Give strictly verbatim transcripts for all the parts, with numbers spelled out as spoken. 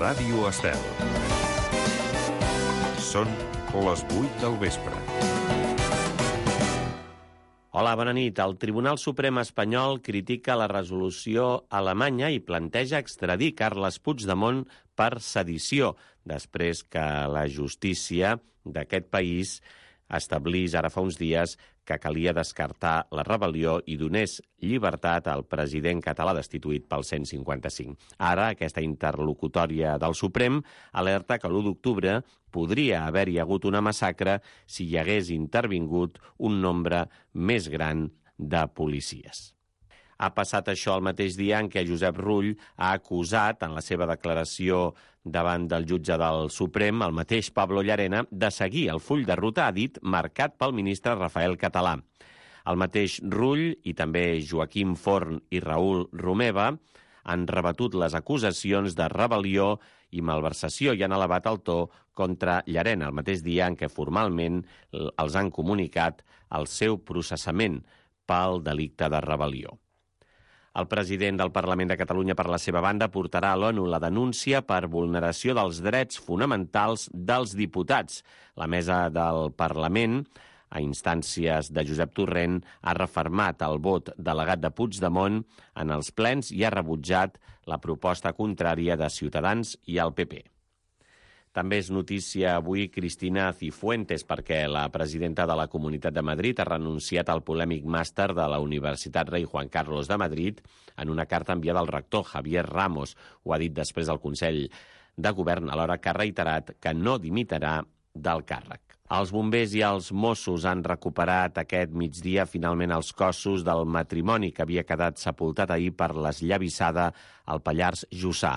Ràdio Estel. Són les vuit del vespre. Hola, bona nit. El Tribunal Suprem espanyol critica la resolució alemanya i planteja extradir Carles Puigdemont per sedició, després que la justícia d'aquest país establís ara fa uns dies que calia descartar la rebel·lió i donés llibertat al president català destituït pel cent cinquanta-cinc. Ara, aquesta interlocutòria del Suprem alerta que l'u d'octubre podria haver-hi hagut una massacre si hi hagués intervingut un nombre més gran de policies. Ha passat això el mateix dia en què Josep Rull ha acusat, en la seva declaració davant del jutge del Suprem, el mateix Pablo Llarena, de seguir el full de ruta, ha dit, marcat pel ministre Rafael Català. El mateix Rull i també Joaquim Forn i Raül Romeva han rebatut les acusacions de rebel·lió i malversació i han elevat el to contra Llarena, el mateix dia en què formalment els han comunicat el seu processament pel delicte de rebel·lió. El president del Parlament de Catalunya, per la seva banda, portarà a l'ONU la denúncia per vulneració dels drets fonamentals dels diputats. La mesa del Parlament, a instàncies de Josep Torrent, ha refermat el vot delegat de Puigdemont en els plens i ha rebutjat la proposta contrària de Ciutadans i el P P. També és notícia avui Cristina Cifuentes, perquè la presidenta de la Comunitat de Madrid ha renunciat al polèmic màster de la Universitat Rei Juan Carlos de Madrid en una carta enviada al rector Javier Ramos. Ho ha dit després del Consell de Govern, alhora que ha reiterat que no dimitirà del càrrec. Els bombers i els Mossos han recuperat aquest migdia finalment els cossos del matrimoni que havia quedat sepultat ahir per l'esllavissada al Pallars Jussà.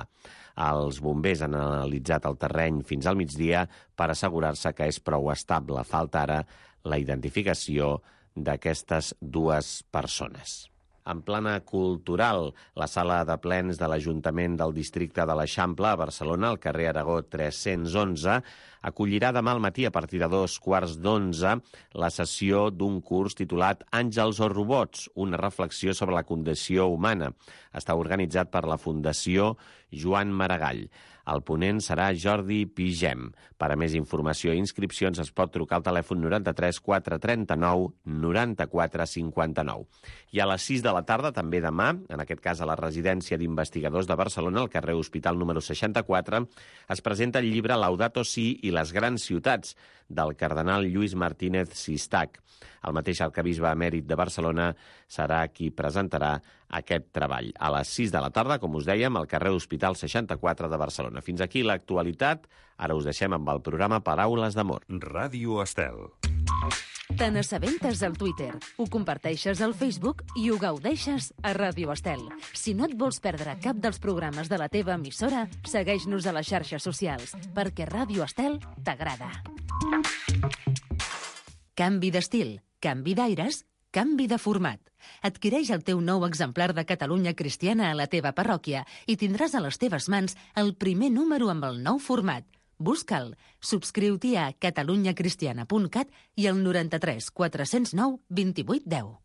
Els bombers han analitzat el terreny fins al migdia per assegurar-se que és prou estable. Falta ara la identificació d'aquestes dues persones. En plana cultural, la sala de plens de l'Ajuntament del districte de l'Eixample, a Barcelona, al carrer Aragó tres-cents onze, acollirà demà al matí a partir de dos quarts d'onze la sessió d'un curs titulat Àngels o robots, una reflexió sobre la condició humana. Està organitzat per la Fundació Joan Maragall. El ponent serà Jordi Pigem. Per a més informació i inscripcions es pot trucar al telèfon noranta-tres quatre trenta-nou noranta-quatre cinquanta-nou. I a les sis de la tarda, també demà, en aquest cas a la residència d'investigadors de Barcelona, al carrer Hospital número seixanta-quatre, es presenta el llibre Laudato Si i les grans ciutats, del cardenal Lluís Martínez Sistac. El mateix arquebisbe emèrit de Barcelona serà qui presentarà aquest treball. A les sis de la tarda, com us dèiem, al carrer Hospital seixanta-quatre de Barcelona. Fins aquí l'actualitat. Ara us deixem amb el programa Paraules d'Amor. Ràdio Estel. Te n'assabentes al Twitter, ho comparteixes al Facebook i ho gaudeixes a Ràdio Estel. Si no et vols perdre cap dels programes de la teva emissora, segueix-nos a les xarxes socials, perquè Ràdio Estel t'agrada. Canvi d'estil, canvi d'aires, canvi de format. Adquireix el teu nou exemplar de Catalunya Cristiana a la teva parròquia i tindràs a les teves mans el primer número amb el nou format. Busca'l. Subscriu-t'hi a catalunyacristiana punt cat i al noranta-tres quatre-cents nou vint-i-vuit deu.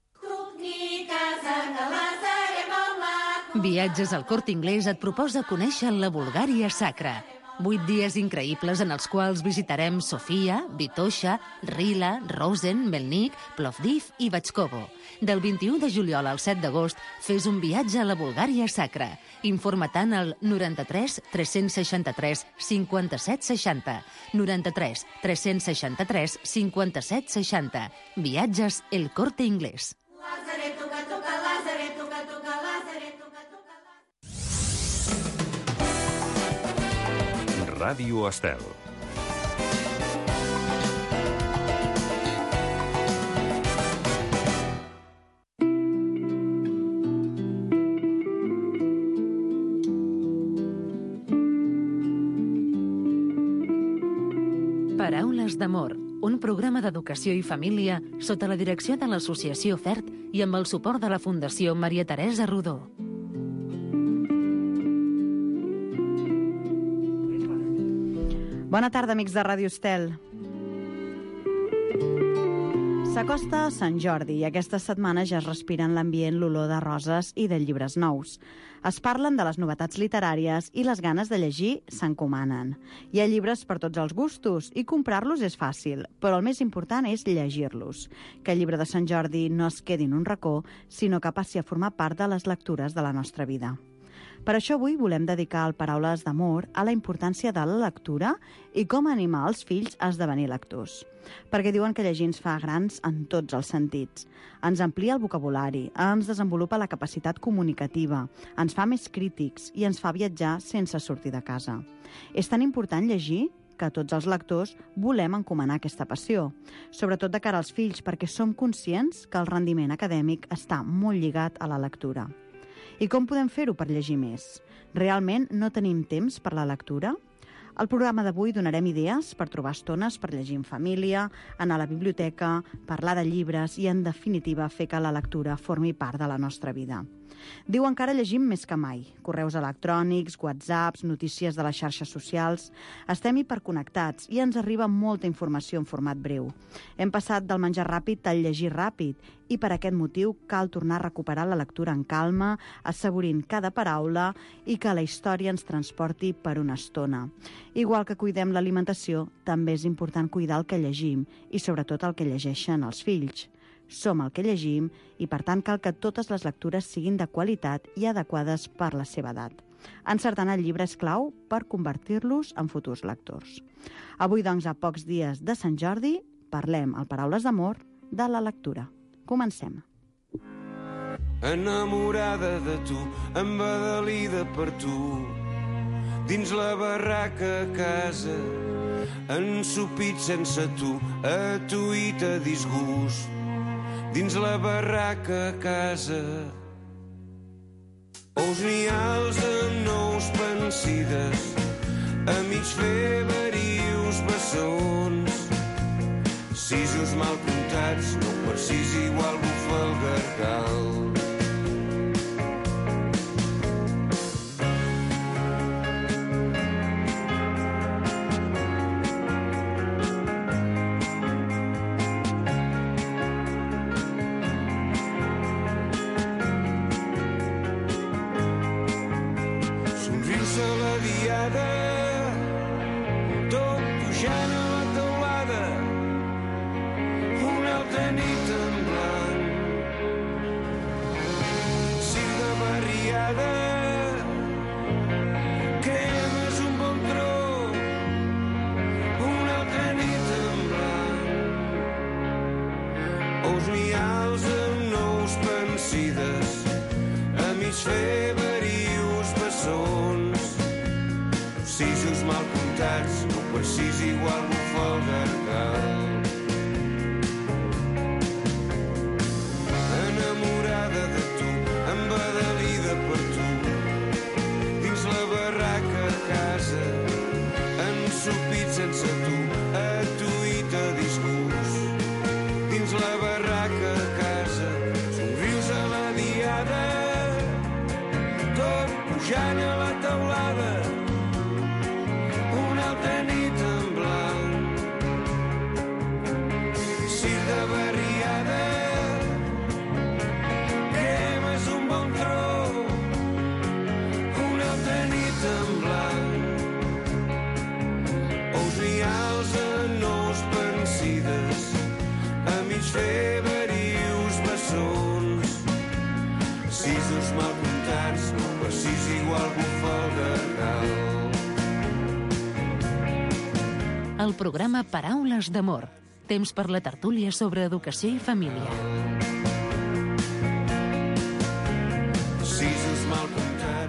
Viatges al Corte Inglés et proposa conèixer la Bulgària sacra. Vuit dies increïbles en els quals visitarem Sofia, Vitoša, Rila, Rosen, Melnik, Plovdiv i Batxkovo. Del vint-i-u de juliol al set d'agost fes un viatge a la Bulgària sacra. Informa-te'n al noranta-tres tres-cents seixanta-tres cinquanta-set seixanta. noranta-tres tres-cents seixanta-tres cinquanta-set seixanta. Viatges El Corte Inglés. Ràdio Estel. Paraules d'Amor, un programa d'educació i família sota la direcció de l'Associació FERT i amb el suport de la Fundació Maria Teresa Rodó. Bona tarda, amics de Ràdio Estel. S'acosta Sant Jordi i aquesta setmana ja es respira en l'ambient l'olor de roses i de llibres nous. Es parlen de les novetats literàries i les ganes de llegir s'encomanen. Hi ha llibres per tots els gustos i comprar-los és fàcil, però el més important és llegir-los. Que el llibre de Sant Jordi no es quedi en un racó, sinó que passi a formar part de les lectures de la nostra vida. Per això avui volem dedicar el Paraules d'Amor a la importància de la lectura i com animar els fills a esdevenir lectors. Perquè diuen que llegir ens fa grans en tots els sentits. Ens amplia el vocabulari, ens desenvolupa la capacitat comunicativa, ens fa més crítics i ens fa viatjar sense sortir de casa. És tan important llegir que tots els lectors volem encomanar aquesta passió, sobretot de cara als fills, perquè som conscients que el rendiment acadèmic està molt lligat a la lectura. I com podem fer-ho per llegir més? Realment no tenim temps per la lectura? Al programa d'avui donarem idees per trobar estones per llegir en família, anar a la biblioteca, parlar de llibres i, en definitiva, fer que la lectura formi part de la nostra vida. Diuen que ara llegim més que mai. Correus electrònics, whatsapps, notícies de les xarxes socials. Estem hiperconnectats i ens arriba molta informació en format breu. Hem passat del menjar ràpid al llegir ràpid i per aquest motiu cal tornar a recuperar la lectura en calma, assaborint cada paraula i que la història ens transporti per una estona. Igual que cuidem l'alimentació, també és important cuidar el que llegim i sobretot el que llegeixen els fills. Som el que llegim i, per tant, cal que totes les lectures siguin de qualitat i adequades per la seva edat. Encertant el llibre és clau per convertir-los en futurs lectors. Avui, doncs, a pocs dies de Sant Jordi, parlem, al Paraules d'Amor, de la lectura. Comencem. Enamorada de tu, embadalida per tu, dins la barraca a casa, ensupit sense tu, a tu i te disgust. Dins la barraca a casa, ous nials amb nous pensides, a mig fer verius bessons, sisos mal comptats, no per sis igual bufa el gargal. Tot pujant a la teulada, una altra nit en blanc. Cir de barriada, cremes un bon tro, una altra nit en blanc. Ous nials amb nous pensides, a mig fer verius bessons, sisos mal comptats, no per sis igual bufa el gargal. Enamorada de tu, embadalida per tu, dins la barraca a casa, ensupit sense tu, a tu i te disgust. Dins la barraca a casa, somrius a la diada, tot pujant a la teulada, nit en blanc. Cir de barriada, cremes un bon tro, una altra nit en blanc. Ous nials en nous pensides, a mig fer verius bessons, sisos mal comptats, no per sis igual bufa el gargal. El programa Paraules d'Amor. Temps per la tertúlia sobre educació i família.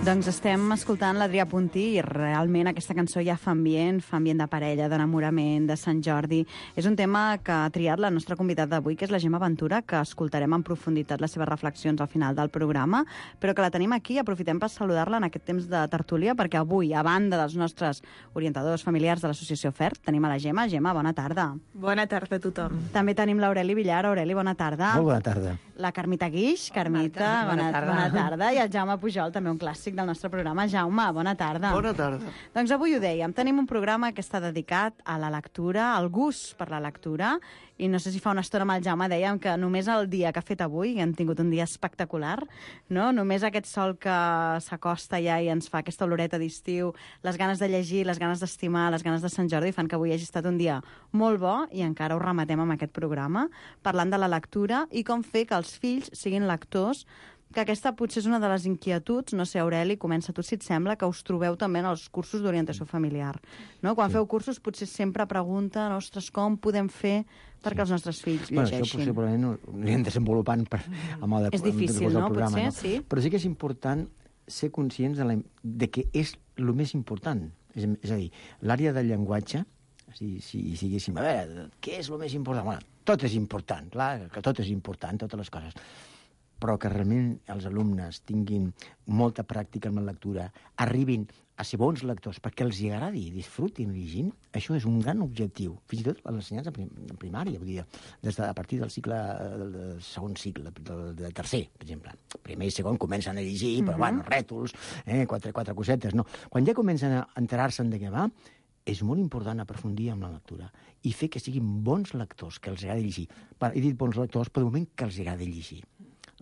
Doncs estem escoltant l'Adrià Puntí i realment aquesta cançó ja fa ambient, fa ambient de parella, d'enamorament, de Sant Jordi. És un tema que ha triat la nostra convidada d'avui, que és la Gemma Ventura, que escoltarem en profunditat les seves reflexions al final del programa, però que la tenim aquí. Aprofitem per saludar-la en aquest temps de tertúlia, perquè avui, a banda dels nostres orientadors familiars de l'associació F E R, tenim a la Gemma. Gemma, bona tarda. Bona tarda a tothom. També tenim l'Aureli Villar. Aureli, bona tarda. Molt bona tarda. La Carmita Guix. Carmita, bona, bona, tarda. bona tarda. I el Jaume Pujol, també un clàssic del nostre programa. Jaume, bona tarda. Bona tarda. Doncs avui ho dèiem, tenim un programa que està dedicat a la lectura, al gust per la lectura, I no sé si fa una estona amb el Jaume dèiem que només el dia que ha fet avui, que hem tingut un dia espectacular, no? Només aquest sol que s'acosta ja i ens fa aquesta oloreta d'estiu, les ganes de llegir, les ganes d'estimar, les ganes de Sant Jordi, fan que avui hagi estat un dia molt bo i encara ho rematem amb aquest programa, parlant de la lectura i com fer que els fills siguin lectors, que aquesta potser és una de les inquietuds, no sé, Aureli, comença tu si et sembla, que us trobeu també en els cursos d'orientació familiar. No? Quan sí. feu cursos potser sempre pregunten, ostres, com podem fer perquè sí. els nostres fills bueno, llegeixin? Això possiblement ho anirem desenvolupant per, a mode, és difícil, no? programa, Potser, no? sí. Però sí que és important ser conscients de, la, de que és el més important. És, és a dir, l'àrea del llenguatge, si, si, si diguéssim, a veure, què és el més important? Bueno, tot és important, clar, que tot és important, totes les coses. Però que realment els alumnes tinguin molta pràctica en la lectura, arribin a ser bons lectors, perquè els agradi i disfrutin llegint, això és un gran objectiu. Fins i tot a l'ensenyança prim primària, vull dir, des de, a partir del cicle, del, del segon cicle, del, del tercer, per exemple. Primer i segon comencen a llegir, però, uh-huh. bueno, rètols, eh, quatre, quatre cosetes, no. Quan ja comencen a enterar-se'n de què va, és molt important aprofundir en la lectura i fer que siguin bons lectors, que els agradi llegir. He dit bons lectors, però de moment que els agradi llegir.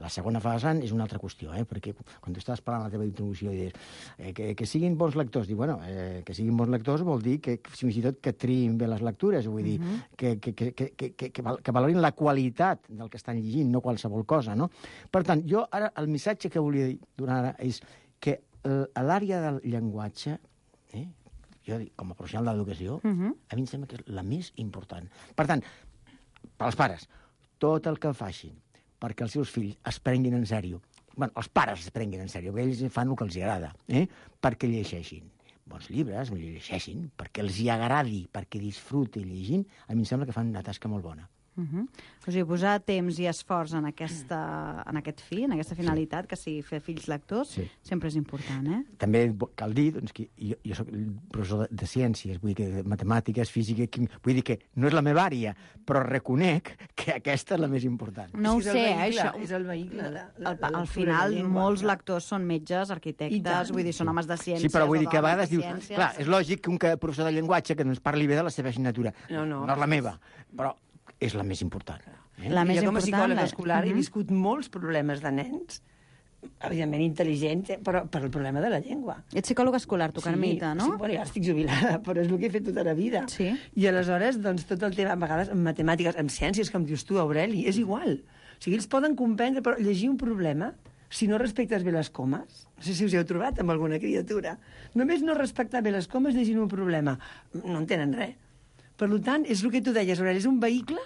La segona fase és una altra qüestió, eh? Perquè quan tu estàs parlant la teva introducció i dius eh, que, que siguin bons lectors, dic, bueno, eh, que siguin bons lectors vol dir que fins i tot que triïn bé les lectures, vull dir, uh-huh. que, que, que, que, que, que, que valorin la qualitat del que estan llegint, no qualsevol cosa, no? Per tant, jo ara el missatge que volia donar ara és que a l'àrea del llenguatge, eh, jo com a professional de l'educació, uh-huh. a mi em sembla que és la més important. Per tant, pels pares, tot el que facin perquè els seus fills es prenguin en sèrio. Bueno, els pares es prenguin en sèrio, perquè ells fan el que els agrada, eh? Perquè llegeixin bons llibres, llegeixin, perquè els hi agradi, perquè disfrutin llegint, a mi em sembla que fan una tasca molt bona. Uh-huh. O sigui, posar temps i esforç en, aquesta, en aquest fi, en aquesta finalitat, sí. que sigui fer fills lectors, sí. sempre és important, eh? També cal dir doncs, que jo, jo soc professor de, de ciències, vull dir que de matemàtiques, física, química, vull dir que no és la meva àrea, però reconec que aquesta és la més important. No ho és sé, vehicle, això. És el vehicle. La, la, al, al final, molts lectors són metges, arquitectes, vull dir, són homes de ciències. Sí, però vull dir que a vegades dius, ciències. clar, és lògic que un professor de llenguatge que no ens parli bé de la seva assignatura. No, no. No és la meva, però és la més important. Eh? La més jo com a psicòleg la... escolar uh-huh. he viscut molts problemes de nens, evidentment intel·ligents, però per el problema de la llengua. Ets psicòloga escolar, tu, Carmita, no? Sí, bueno, ja estic jubilada, però és el que he fet tota la vida. Sí. I aleshores, doncs, tot el tema, a vegades, en matemàtiques, en ciències, com dius tu, Aureli, és igual. O sigui, ells poden comprendre, però llegir un problema, si no respectes bé les comes, no sé si us heu trobat amb alguna criatura, només no respectar bé les comes llegint un problema, no entenen res. Per tant, és el que tu deies, Aureli, és un vehicle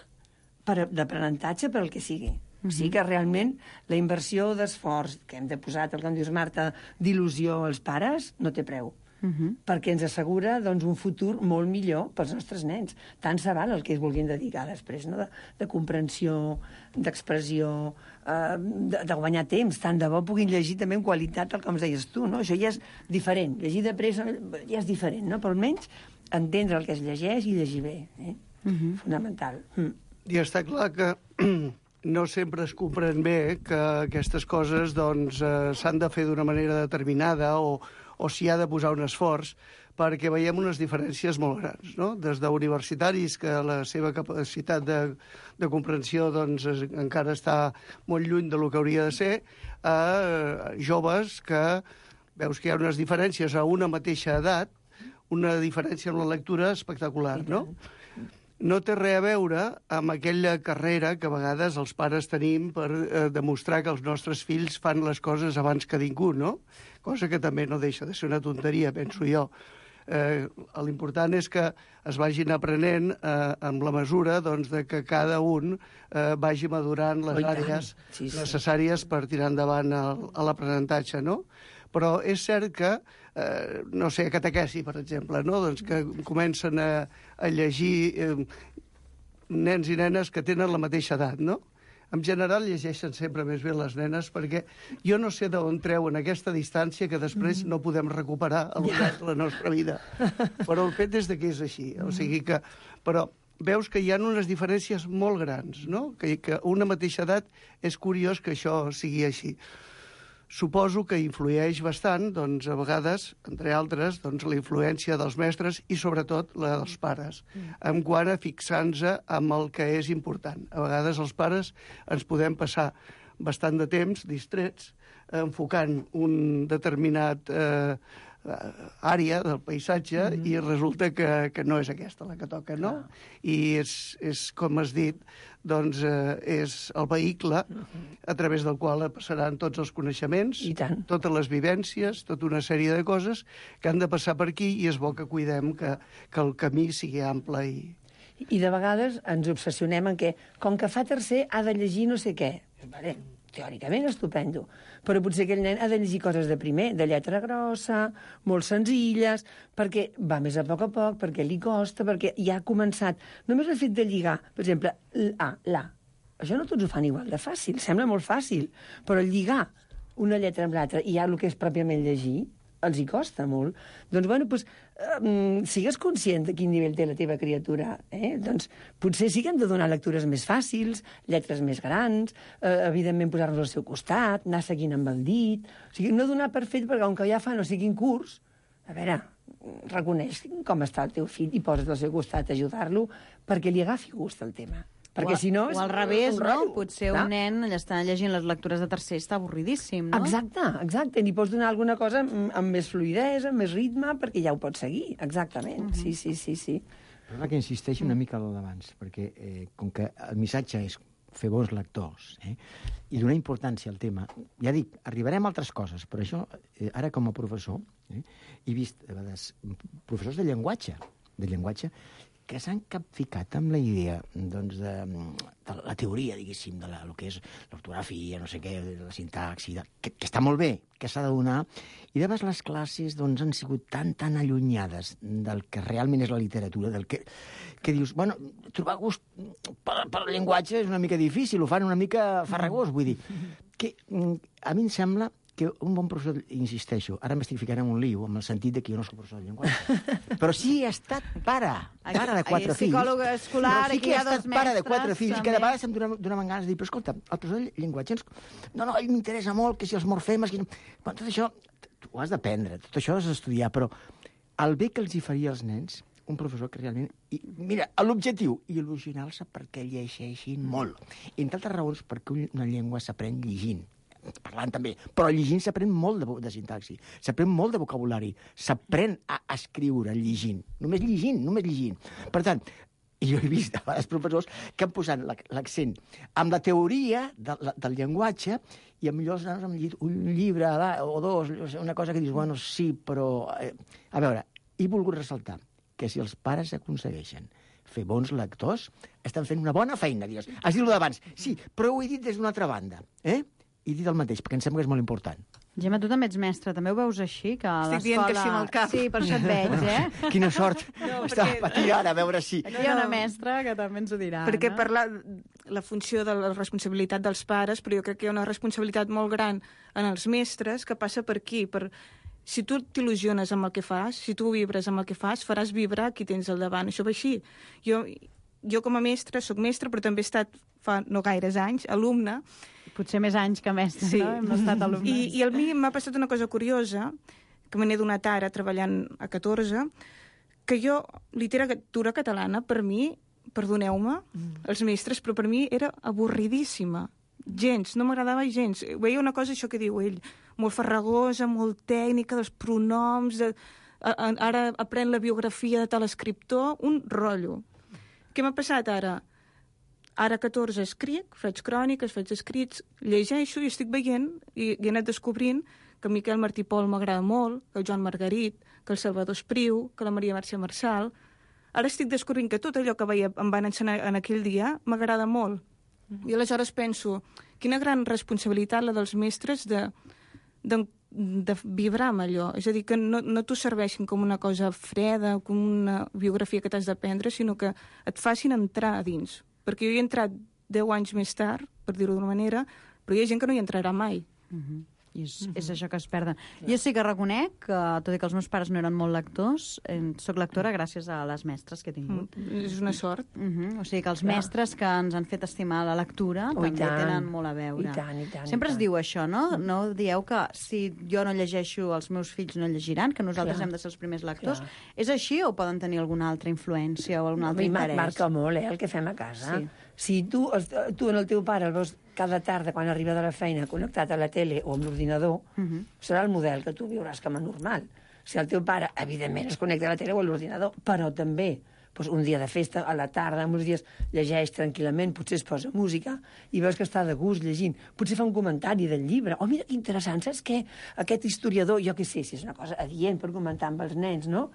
d'aprenentatge per al que sigui. Uh-huh. Sí que realment la inversió d'esforç que hem de posar, el que em dius, Marta, d'il·lusió als pares, no té preu. Uh-huh. Perquè ens assegura doncs, un futur molt millor pels nostres nens. Tant se val el que es vulguin dedicar després, no? de, de comprensió, d'expressió, eh, de, de guanyar temps. Tant de bo puguin llegir també en qualitat, el que em deies tu. No? Això ja és diferent. Llegir de pressa ja és diferent, no? Però almenys entendre el que es llegeix i llegir bé. Eh? Uh-huh. Fonamental. Mm. I està clar que no sempre es comprèn bé que aquestes coses doncs, eh, s'han de fer d'una manera determinada o, o s'hi ha de posar un esforç, perquè veiem unes diferències molt grans, no? Des d'universitaris, que la seva capacitat de, de comprensió doncs, es, encara està molt lluny del que hauria de ser, a joves que veus que hi ha unes diferències a una mateixa edat, una diferència en la lectura espectacular, no? No té res a veure amb aquella carrera que a vegades els pares tenim per eh, demostrar que els nostres fills fan les coses abans que ningú, no? Cosa que també no deixa de ser una tonteria, penso jo. Eh, l'important és que es vagin aprenent eh, amb la mesura doncs, de que cada un eh, vagi madurant les àrees sí, sí. necessàries per tirar endavant el, l'aprenentatge, no? Però és cert que, eh, no sé, catequesi, per exemple, no? Doncs que comencen a, a llegir eh, nens i nenes que tenen la mateixa edat, no? En general llegeixen sempre més bé les nenes, perquè jo no sé d'on treuen aquesta distància que després no podem recuperar al llarg de la nostra vida. Però el fet és de que és així. O sigui que... Però veus que hi ha unes diferències molt grans, no? Que, que a una mateixa edat és curiós que això sigui així. Suposo que influeix bastant, doncs, a vegades, entre altres, doncs, la influència dels mestres i, sobretot, la dels pares, en quant a fixar-nos amb el que és important. A vegades els pares ens podem passar bastant de temps distrets enfocant un determinat eh, àrea del paisatge mm-hmm. i resulta que, que no és aquesta la que toca, no? Ah. I és, és, com has dit, doncs eh, és el vehicle a través del qual passaran tots els coneixements, totes les vivències, tota una sèrie de coses que han de passar per aquí i és bo que cuidem que, que el camí sigui ample i... I de vegades ens obsessionem en què, com que fa tercer, ha de llegir no sé què. Vale, teòricament estupendo, però potser aquell nen ha de llegir coses de primer, de lletra grossa, molt senzilles, perquè va més a poc a poc, perquè li costa, perquè ja ha començat. Només el fet de lligar, per exemple, l'A, l'A. Això no tots ho fan igual de fàcil, sembla molt fàcil, però lligar una lletra amb l'altra i ja el que és pròpiament llegir, els hi costa molt. Doncs, bueno, doncs, um, sigues conscient de quin nivell té la teva criatura. Eh? Doncs potser sí que hem de donar lectures més fàcils, lletres més grans, eh, evidentment posar-nos al seu costat, anar seguint amb el dit... O sigui, no donar per fet, perquè com que ja fa no sé quin curs, a veure, reconeix com està el teu fill i posa't al seu costat a ajudar-lo perquè li agafi gust al tema. Perquè, o, si no, o al revés, no? Potser clar. Un nen allà està llegint les lectures de tercer està avorridíssim, no? Exacte, exacte. N'hi pots donar alguna cosa amb, amb més fluïdesa, amb més ritme, perquè ja ho pots seguir. Exactament. Uh-huh. Sí, sí, sí, sí. Però que insisteixi una mica al d'abans, perquè eh, com que el missatge és fer bons lectors eh, i donar importància al tema, ja dic, arribarem a altres coses, però això, eh, ara com a professor, eh, he vist a vegades professors de llenguatge, de llenguatge, que s'han capficat amb la idea doncs, de, de la teoria, diguéssim, de la, el que és l'ortografia, no sé què, la sintaxi, de, que, que està molt bé, que s'ha de donar, i de vegades les classes doncs, han sigut tan, tan allunyades del que realment és la literatura, del que, que dius, bueno, trobar gust per, per el llenguatge és una mica difícil, ho fan una mica farragós, vull dir, que a mi em sembla que un bon professor, insisteixo, ara m'estic ficant en un lío, amb el sentit de que jo no soc professor de llenguatge, però sí he estat pare, pare de quatre fills. Psicòleg escolar, sí aquí hi ha dos mestres. Pare de quatre fills, també. Que de vegades em donaven ganes de dir, però escolta, el professor de llenguatge, ens... no, no, ell m'interessa molt, que si els morfemes... Que... Bueno, tot això ho has d'aprendre, tot això has d'estudiar, però el bé que els hi faria als nens, un professor que realment... I, mira, l'objectiu, il·lusionar-se perquè llegeixin molt. I, entre altres raons, perquè una llengua s'aprèn llegint, parlant també, però llegint s'aprèn molt de, de sintaxi, s'aprèn molt de vocabulari, s'aprèn a escriure llegint, només llegint, només llegint. Per tant, jo he vist a vegades professors que han posat l'accent amb la teoria de, la, del llenguatge i potser els nanos han llegit un llibre o dos, una cosa que dius, bueno, sí, però... Eh, a veure, he volgut ressaltar que si els pares aconsegueixen fer bons lectors, estan fent una bona feina, dius. Has dit-ho d'abans, sí, però ho he dit des d'una altra banda, eh? I dit el mateix, perquè em sembla que és molt important. Gemma, tu també ets mestra, també ho veus així? Que a Estic dient que sí amb el cap. Sí, per això et veig, eh? Quina sort. No, Està perquè... patint ara, a veure si... Aquí hi ha una mestra que també ens ho dirà, Perquè no? per la, la funció de la responsabilitat dels pares, però jo crec que hi ha una responsabilitat molt gran en els mestres que passa per aquí, per... Si tu t'il·lusiones amb el que fas, si tu vibres amb el que fas, faràs vibrar qui tens al davant. Això va així. Jo, jo com a mestra, soc mestra, però també he estat, fa no gaires anys, alumne. Potser més anys que mestre, sí. no? Hem estat alumnes. I, I a mi m'ha passat una cosa curiosa, que me n'he donat ara treballant a catorze, que jo, literatura catalana, per mi, perdoneu-me, mm. els mestres, però per mi era avorridíssima. Gens, no m'agradava gens. Veia una cosa, això que diu ell, molt farragosa, molt tècnica, dels pronoms, de... ara aprèn la biografia de tal escriptor, un rotllo. Què m'ha passat ara? Ara a catorze escric, faig cròniques, faig escrits, llegeixo i estic veient i, i he anat descobrint que Miquel Martí Pol m'agrada molt, que el Joan Margarit, que el Salvador Espriu, que la Maria Mercè Marçal. Ara estic descobrint que tot allò que veia, em van ensenyar en aquell dia m'agrada molt. Mm-hmm. I aleshores penso, quina gran responsabilitat la dels mestres de, de, de vibrar amb allò. És a dir, que no, no t'ho serveixin com una cosa freda, com una biografia que t'has d'aprendre, sinó que et facin entrar a dins. Perquè jo hi he entrat deu anys més tard, per dir-ho d'una manera, però hi ha gent que no hi entrarà mai. Mm-hmm. I és, mm -hmm. és això que es perden. Clar. Jo sí que reconec que, tot i que els meus pares no eren molt lectors, eh, soc lectora gràcies a les mestres que he tingut. Mm, és una sort. Mm -hmm. O sigui que els Clar. mestres que ens han fet estimar la lectura Oh, també tant. tenen molt a veure. I tant, i tant, Sempre i es tant. diu això, no? No dieu que si jo no llegeixo, els meus fills no llegiran, que nosaltres Clar. hem de ser els primers lectors. Clar. És així o poden tenir alguna altra influència o algun altre A mi interès? marca molt, eh, el que fem a casa. Sí. Si tu, tu en el teu pare el veus cada tarda quan arriba de la feina connectat a la tele o amb l'ordinador, uh -huh. serà el model que tu viuràs com a normal. Si el teu pare, evidentment, es connecta a la tele o a l'ordinador, però també doncs un dia de festa, a la tarda, uns dies llegeix tranquil·lament, potser es posa música i veus que està de gust llegint. Potser fa un comentari del llibre. Oh, mira que interessant, saps què? Aquest historiador, jo què sé, si és una cosa adient per comentar amb els nens, no?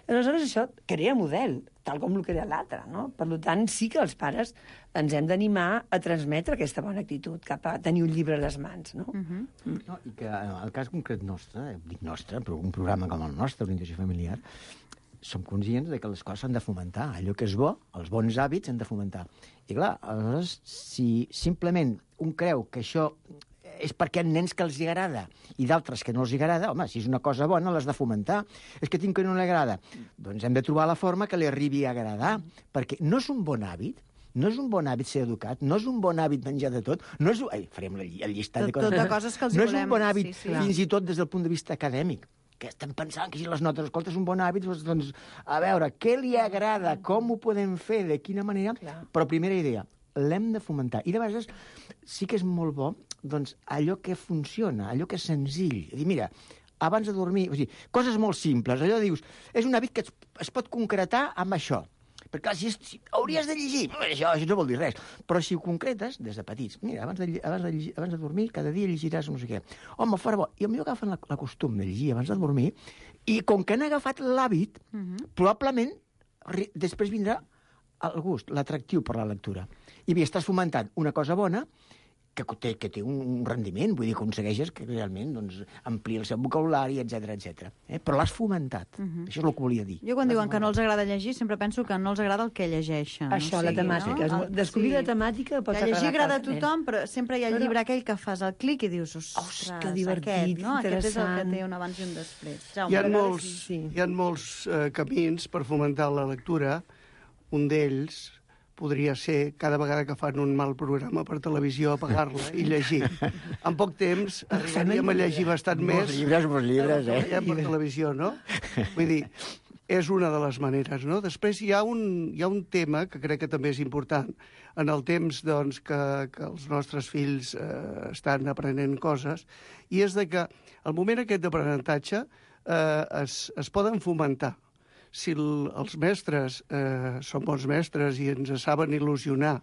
Aleshores, això crea model, tal com el crea l'altre, no? Per tant, sí que els pares ens hem d'animar a transmetre aquesta bona actitud cap a tenir un llibre a les mans, no? Uh -huh. mm. No, i que en el cas concret nostre, dic nostre, però un programa com el nostre, Orientació Familiar, som conscients de que les coses s'han de fomentar. Allò que és bo, els bons hàbits s'han de fomentar. I clar, aleshores, si simplement un creu que això és perquè hi ha nens que els agrada i d'altres que no els agrada, home, si és una cosa bona l'has de fomentar. És que tinc que no li agrada. Doncs hem de trobar la forma que li arribi a agradar, perquè no és un bon hàbit, no és un bon hàbit ser educat, no és un bon hàbit menjar de tot, no és... Ai, farem el llistat de coses. Tot de coses que els no volem. és un bon hàbit, sí, sí. fins i tot des del punt de vista acadèmic, que estem pensant que si les notes, escolta, és un bon hàbit, doncs, a veure, què li agrada, com ho podem fer, de quina manera... Clar. Però primera idea, l'hem de fomentar. I de vegades sí que és molt bo, doncs, allò que funciona, allò que és senzill. És dir, mira, abans de dormir... O sigui, coses molt simples. Allò dius, és un hàbit que es, es pot concretar amb això. Perquè, clar, si, és, si hauries de llegir, això, això no vol dir res. Però si ho concretes, des de petits, mira, abans de, abans de, llegir, abans de dormir, cada dia llegiràs no sé què. Home, fora bo. I potser agafen la, la costum de llegir abans de dormir, i com que han agafat l'hàbit, uh -huh. probablement després vindrà el gust, l'atractiu per la lectura. I bé, estàs fomentant una cosa bona, que té, que té un rendiment, vull dir, aconsegueixes que realment doncs, amplia el seu vocabulari, etcètera, etcètera. Eh? Però l'has fomentat. Uh -huh. Això és el que volia dir. Jo quan diuen que no els agrada llegir, sempre penso que no els agrada el que llegeixen. Això, o sigui, la temàtica. No? El, descobrir sí. la temàtica pot que llegir agrada a cada nen. tothom, però sempre hi ha el Però... llibre aquell que fas el clic i dius, ostres, Ostres, que divertit, aquest, no? Aquest és el que interessant. té un abans i un després. Jaume, Hi ha a vegades molts, sí. hi ha molts eh, camins per fomentar la lectura. Un d'ells podria ser, cada vegada que fan un mal programa per televisió, apagar-la i llegir. En poc temps arribaríem a llegir bastant més... Molts llibres, molts llibres, eh? Per televisió, no? Vull dir, és una de les maneres, no? Després hi ha un, hi ha un tema que crec que també és important. En el temps doncs, que, que els nostres fills eh, estan aprenent coses, i és de que al moment aquest d'aprenentatge eh, es, es poden fomentar. Si el, els mestres eh, són bons mestres i ens saben il·lusionar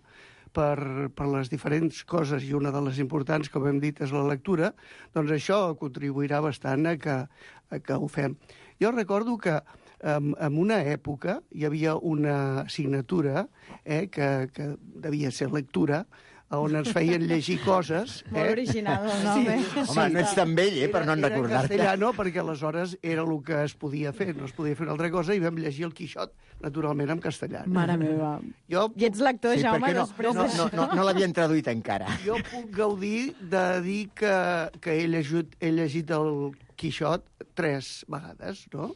per, per les diferents coses, i una de les importants, com hem dit, és la lectura, doncs això contribuirà bastant a que, a que ho fem. Jo recordo que en, en una època hi havia una assignatura eh, que, que devia ser lectura, on ens feien llegir coses. Molt eh? original el nom, eh? Home, no ets tan vell, eh, per no en Era en recordar-te. castellano, perquè aleshores era el que es podia fer, no es podia fer una altra cosa, i vam llegir el Quixot, naturalment, en castellà. Mare meva. Jo, I ets lector, Sí, Jaume, perquè no, després no, d'això. no, no, no l'havien traduït encara. jo puc gaudir de dir que, que he, llegit, he llegit el Quixot tres vegades, no?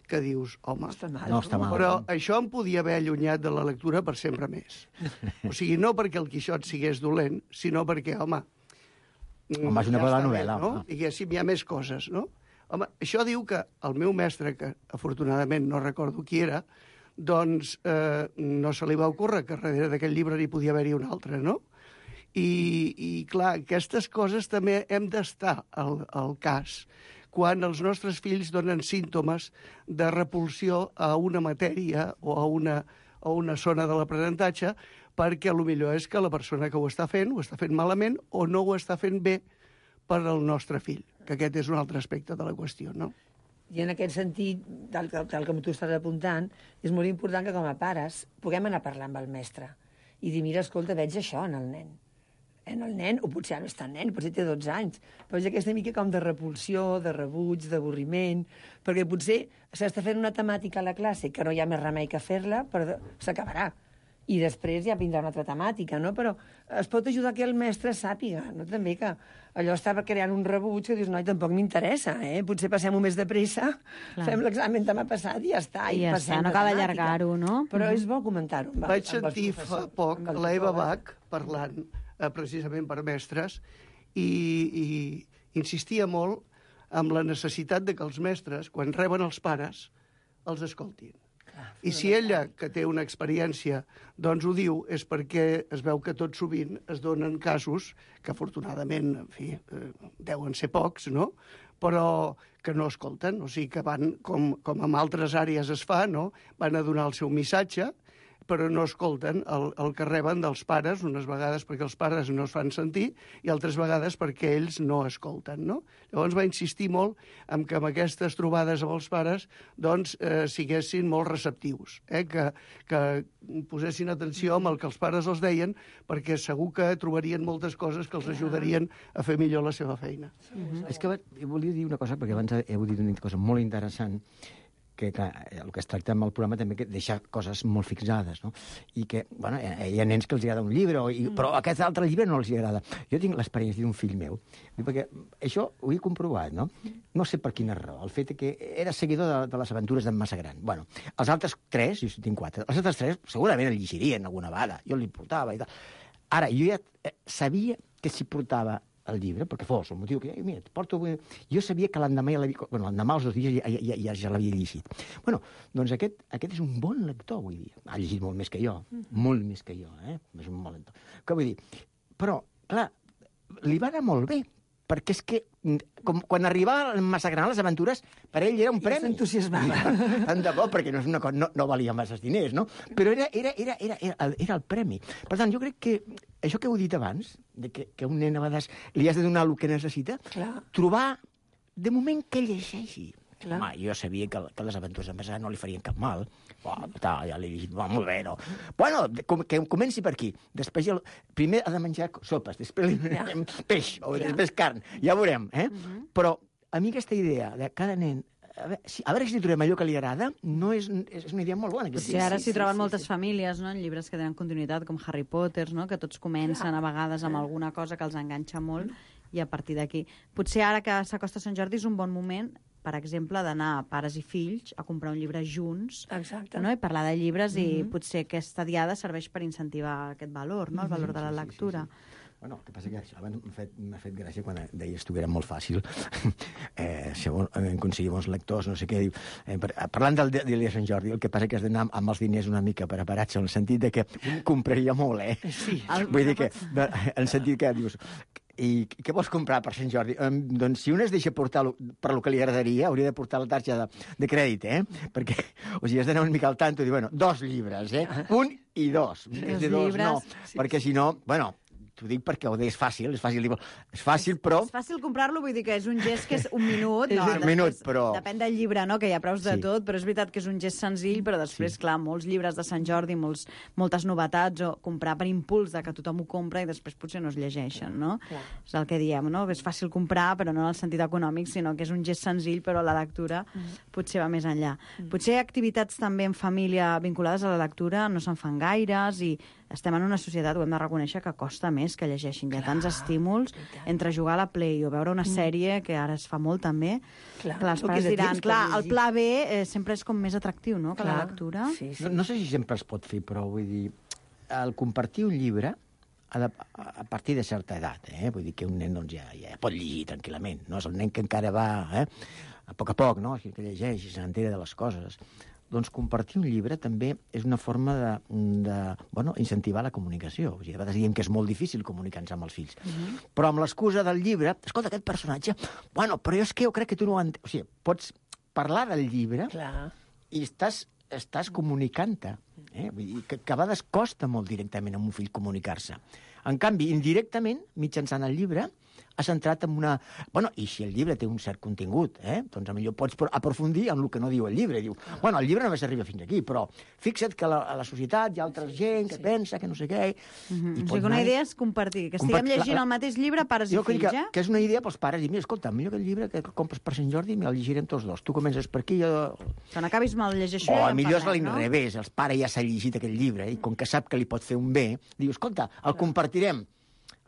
Que dius, home, No està mal. No està mal. però això em podia haver allunyat de la lectura per sempre més. O sigui, no perquè el Quixot sigués dolent, sinó perquè, home... Home, és una bona està bé, novel·la, no? home. Diguéssim, hi ha més coses, no? Home, això diu que el meu mestre, que afortunadament no recordo qui era, doncs eh, no se li va ocórrer que darrere d'aquest llibre n'hi podia haver-hi un altre, no? I, i clar, aquestes coses també hem d'estar al, al cas quan els nostres fills donen símptomes de repulsió a una matèria o a una, a una zona de l'aprenentatge, perquè potser és que la persona que ho està fent ho està fent malament o no ho està fent bé per al nostre fill, que aquest és un altre aspecte de la qüestió, no? I en aquest sentit, tal, tal, tal com tu estàs apuntant, és molt important que com a pares puguem anar a parlar amb el mestre i dir, mira, escolta, veig això en el nen. En el nen, o potser ja no és tan nen, potser té dotze anys, però és aquesta mica com de repulsió, de rebuig, d'avorriment, perquè potser s'està fent una temàtica a la classe que no hi ha més remei que fer-la, però s'acabarà. I després ja vindrà una altra temàtica, no? Però es pot ajudar que el mestre sàpiga, no? També que allò estava creant un rebuig que dius, noi, tampoc m'interessa, eh? Potser passem-ho més de pressa, Clar. fem l'examen demà passat i ja està. I ja passem està, no la cal temàtica. allargar-ho, no? Però és bo comentar-ho. amb- Vaig amb els sentir fa professors, poc amb els l'Eva joves. Bach parlant eh, precisament per mestres i, i insistia molt amb la necessitat de que els mestres, quan reben els pares, els escoltin. I si ella, que té una experiència, doncs ho diu, és perquè es veu que tot sovint es donen casos que afortunadament, en fi, eh, deuen ser pocs, no?, però que no escolten, o sigui que van, com, com en altres àrees es fa, no?, van a donar el seu missatge, però no escolten el, el que reben dels pares, unes vegades perquè els pares no es fan sentir i altres vegades perquè ells no escolten, no? Llavors va insistir molt en que amb aquestes trobades amb els pares doncs eh, siguessin molt receptius, eh? que, que posessin atenció amb el que els pares els deien perquè segur que trobarien moltes coses que els ajudarien a fer millor la seva feina. Mm-hmm. És que volia dir una cosa, perquè abans heu dit una cosa molt interessant, que clar, el que es tracta amb el programa també que deixar coses molt fixades, no? I que, bueno, hi ha nens que els agrada un llibre, i, però aquest altre llibre no els agrada. Jo tinc l'experiència d'un fill meu, perquè això ho he comprovat, no? No sé per quina raó, el fet que era seguidor de, de les aventures d'en Massagran. Bueno, els altres tres, jo tinc quatre, els altres tres segurament el llegirien alguna vegada, jo li portava i tal. Ara, jo ja sabia que si portava el llibre, perquè fos el motiu que... Mira, porto... Jo sabia que l'endemà ja l'havia... Bueno, l'endemà els dos dies ja, ja, ja, ja l'havia llegit. Bueno, doncs aquest, aquest és un bon lector, vull dir. Ha llegit molt més que jo, molt més que jo, eh? És un bon lector. Què vull dir? Però, clar, li va anar molt bé, perquè és que com, quan arribava a Massagran les aventures, per ell era un premi. I s'entusiasmava. Tant de bo, perquè no, és una cosa, no, no valia massa diners, no? Però era, era, era, era, era, era el premi. Per tant, jo crec que això que heu dit abans, de que, que un nen a vegades li has de donar el que necessita, Clar. trobar, de moment, que llegeixi. Clar. Home, jo sabia que, que les aventures de Massagran no li farien cap mal. Oh, ta, ja l'he llegit, va, molt bé, no? Bueno, com, que comenci per aquí. Després, el, primer ha de menjar sopes, després li Ja. peix, o Ja. després carn. Ja veurem, eh? Uh-huh. Però a mi aquesta idea de cada nen a veure, si, a veure si trobem allò que li agrada, no és, és una idea molt bona. Sí, sí, ara s'hi troben sí, moltes sí. famílies, no?, en llibres que tenen continuïtat, com Harry Potter, no?, que tots comencen a vegades amb alguna cosa que els enganxa molt, i a partir d'aquí. Potser ara que s'acosta Sant Jordi és un bon moment, per exemple, d'anar pares i fills a comprar un llibre junts. Exacte. No?, i parlar de llibres, mm-hmm. i potser aquesta diada serveix per incentivar aquest valor, no?, el valor de la lectura. Sí, sí, sí. Bueno, el que passa que això abans m'ha fet, m'ha fet gràcia quan deies tu que era molt fàcil eh, segons aconseguir bons lectors, no sé què. Eh, parlant del dia de Sant Jordi, el que passa que has d'anar amb els diners una mica preparats, en el sentit de que un compraria molt, eh? Sí. Vull dir que, en el sentit que dius... I què vols comprar per Sant Jordi? Um, doncs si un es deixa portar lo, per lo que li agradaria, hauria de portar la targeta de, de crèdit, eh? Perquè, o sigui, has d'anar una mica al tanto i dir, bueno, dos llibres, eh? Un i dos. Dos de dos, llibres. no, sí, perquè si no, bueno... T'ho dic perquè ho és fàcil, és fàcil, és fàcil, però... És fàcil comprar-lo, vull dir que és un gest que és un minut. És No, un després, minut, però... Depèn del llibre, no?, que hi ha preus de Sí. tot, però és veritat que és un gest senzill, però després, clar, molts llibres de Sant Jordi, molts, moltes novetats, o comprar per impuls de que tothom ho compra i després potser no es llegeixen, no? Clar. És el que diem, no? És fàcil comprar, però no en el sentit econòmic, sinó que és un gest senzill, però la lectura potser va més enllà. Potser activitats també en família vinculades a la lectura no se'n fan gaires i estem en una societat, ho hem de reconèixer, que costa més que llegeixin. Hi ha tants estímuls entre jugar a la Play o veure una sèrie, que ara es fa molt també. Clar, Clar, els no pares queda diran, temps per clar, el llegir. pla B eh, sempre és com més atractiu, no?, que la Clar. lectura. Sí, sí. No, no sé si sempre es pot fer, però vull dir, el compartir un llibre ha de, a partir de certa edat, eh? Vull dir que un nen doncs, ja, ja pot llegir tranquil·lament, no és el nen que encara va eh? a poc a poc, no? Que llegeix i s'entera de les coses. Doncs compartir un llibre també és una forma de, de bueno, incentivar la comunicació. O sigui, a vegades diem que és molt difícil comunicar-nos amb els fills. Uh-huh. Però amb l'excusa del llibre, escolta, aquest personatge... Bueno, però és que jo crec que tu no ho entens. O sigui, pots parlar del llibre Clar. i estàs, estàs comunicant-te. Eh? Vull dir que, que a vegades costa molt directament amb un fill comunicar-se. En canvi, indirectament, mitjançant el llibre, ha centrat en una... Bueno, i si el llibre té un cert contingut, eh? doncs millor pots aprofundir en el que no diu el llibre. Diu, bueno, el llibre només arriba fins aquí, però fixa't que a la, a la societat hi ha altra gent que sí. pensa, que no sé què... Mm-hmm. O sigui, una idea és compartir, que estiguem Compart... llegint la, la... el mateix llibre, pares jo i fills, que, eh? que és una idea pels pares, i mira, escolta, millor que el llibre que compres per Sant Jordi, el llegirem tots dos. Tu comences per aquí, jo... Quan acabis mal de llegir això, o ja en millor és parlem, no? l'inrevés, el pare ja s'ha llegit aquest llibre, i com que sap que li pot fer un bé, diu, escolta, el compartirem.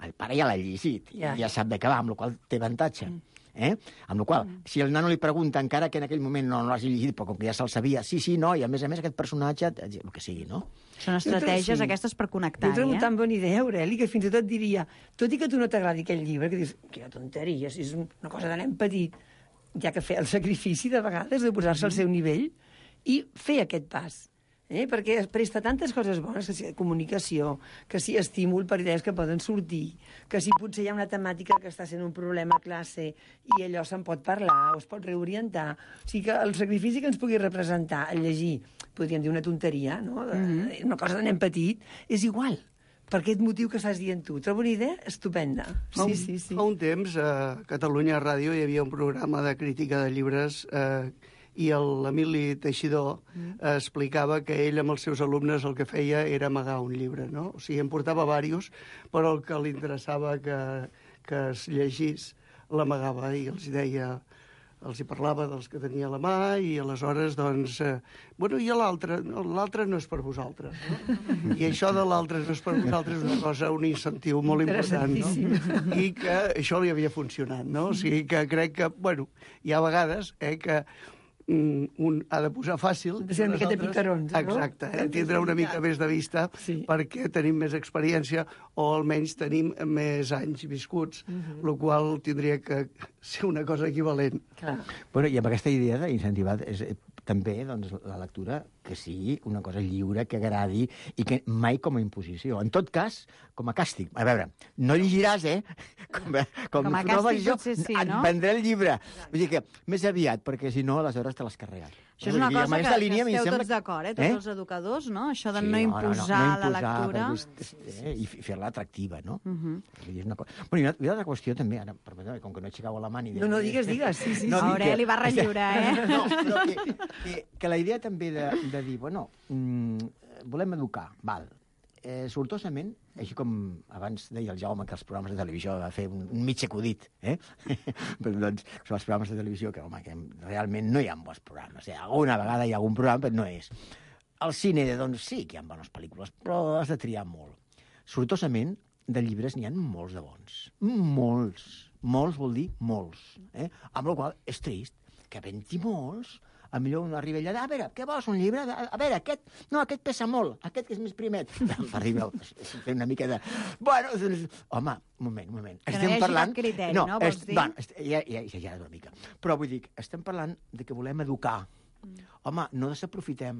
El pare ja l'ha llegit, ja, ja sap de què va, amb la qual té avantatge. Eh? Amb la qual, mm. si el nano li pregunta, encara que en aquell moment no, no l'hagi llegit, però com que ja se'l sabia, sí, sí, no, i a més a més aquest personatge, el que sigui, no? Són estratègies sí. aquestes per connectar, eh? Jo trobo eh? tan bona idea, Aureli, que fins i tot diria, tot i que a tu no t'agradi aquell llibre, que dius, quina tonteria, si és una cosa de nen petit, ja que fer el sacrifici de vegades de posar-se al seu nivell i fer aquest pas. Eh? Perquè es presta tantes coses bones, que si comunicació, que si estímul per idees que poden sortir, que si potser hi ha una temàtica que està sent un problema a classe i allò se'n pot parlar o es pot reorientar. O sigui que el sacrifici que ens pugui representar el llegir, podríem dir una tonteria, no? De, mm-hmm. una cosa de nen petit, és igual. Per aquest motiu que estàs dient tu. Trobo una idea estupenda. Fa un, sí, sí, sí. Fa un temps, a Catalunya Ràdio hi havia un programa de crítica de llibres eh, i l'Emili Teixidor mm. explicava que ell amb els seus alumnes el que feia era amagar un llibre, no? O sigui, en portava diversos, però el que li interessava que, que es llegís l'amagava i els deia, els hi parlava dels que tenia a la mà i aleshores, doncs... Eh, bueno, i l'altre? No, l'altre no és per vosaltres, no? I això de l'altre no és per vosaltres és una cosa, un incentiu molt important, no? I que això li havia funcionat, no? O sigui, que crec que, bueno, hi ha vegades eh, que un ha de posar fàcil... De ser una miqueta picarons, no? Exacte, eh? Tindre una mica més de vista sí. perquè tenim més experiència o almenys tenim més anys viscuts, uh-huh. el qual tindria que ser una cosa equivalent. Clar. Bueno, i amb aquesta idea d'incentivar és, també doncs, la lectura que sigui una cosa lliure, que agradi i que mai com a imposició. En tot cas, com a càstig. A veure, no llegiràs, eh? Com, com, com a no càstig no potser sí, no? Et vendré el llibre. Vull dir que més aviat, perquè si no, aleshores te l'has carregat. Això és una dir, cosa que, línia, que esteu sembla... tots d'acord, eh? Tots eh? els educadors, no? Això de sí, no imposar no, no, no, no la lectura... Eh? I fer-la atractiva, no? Uh -huh. És una cosa... Bueno, i una, i una altra qüestió també, ara, com que no aixecava la mà ni... No, no, digues, digues, sí, sí. No, Aureli va relliure, eh? No, no que, que, que la idea també de, de dir, bueno, mm, volem educar, val. Eh, sortosament, així com abans deia el Jaume que els programes de televisió va fer un, un mig acudit, eh? Però, doncs, són els programes de televisió que, home, que realment no hi ha bons programes. Eh? Alguna vegada hi ha algun programa, però no és. Al cine, doncs sí que hi ha bones pel·lícules, però has de triar molt. Sortosament, de llibres n'hi ha molts de bons. Molts. Molts vol dir molts. Eh? Amb la qual és trist que havent-hi molts, a millor un arriba allà, a veure, què vols, un llibre? A veure, aquest, no, aquest pesa molt, aquest que és més primet. Arriba fer una mica de... Bueno, doncs, home, un moment, un moment. Que no hi hagi parlant... cap criteri, no, no? Vols est... dir? Bueno, est... ja, ja, ja, ja, una mica. Però vull dir, estem parlant de que volem educar. Mm. Home, no desaprofitem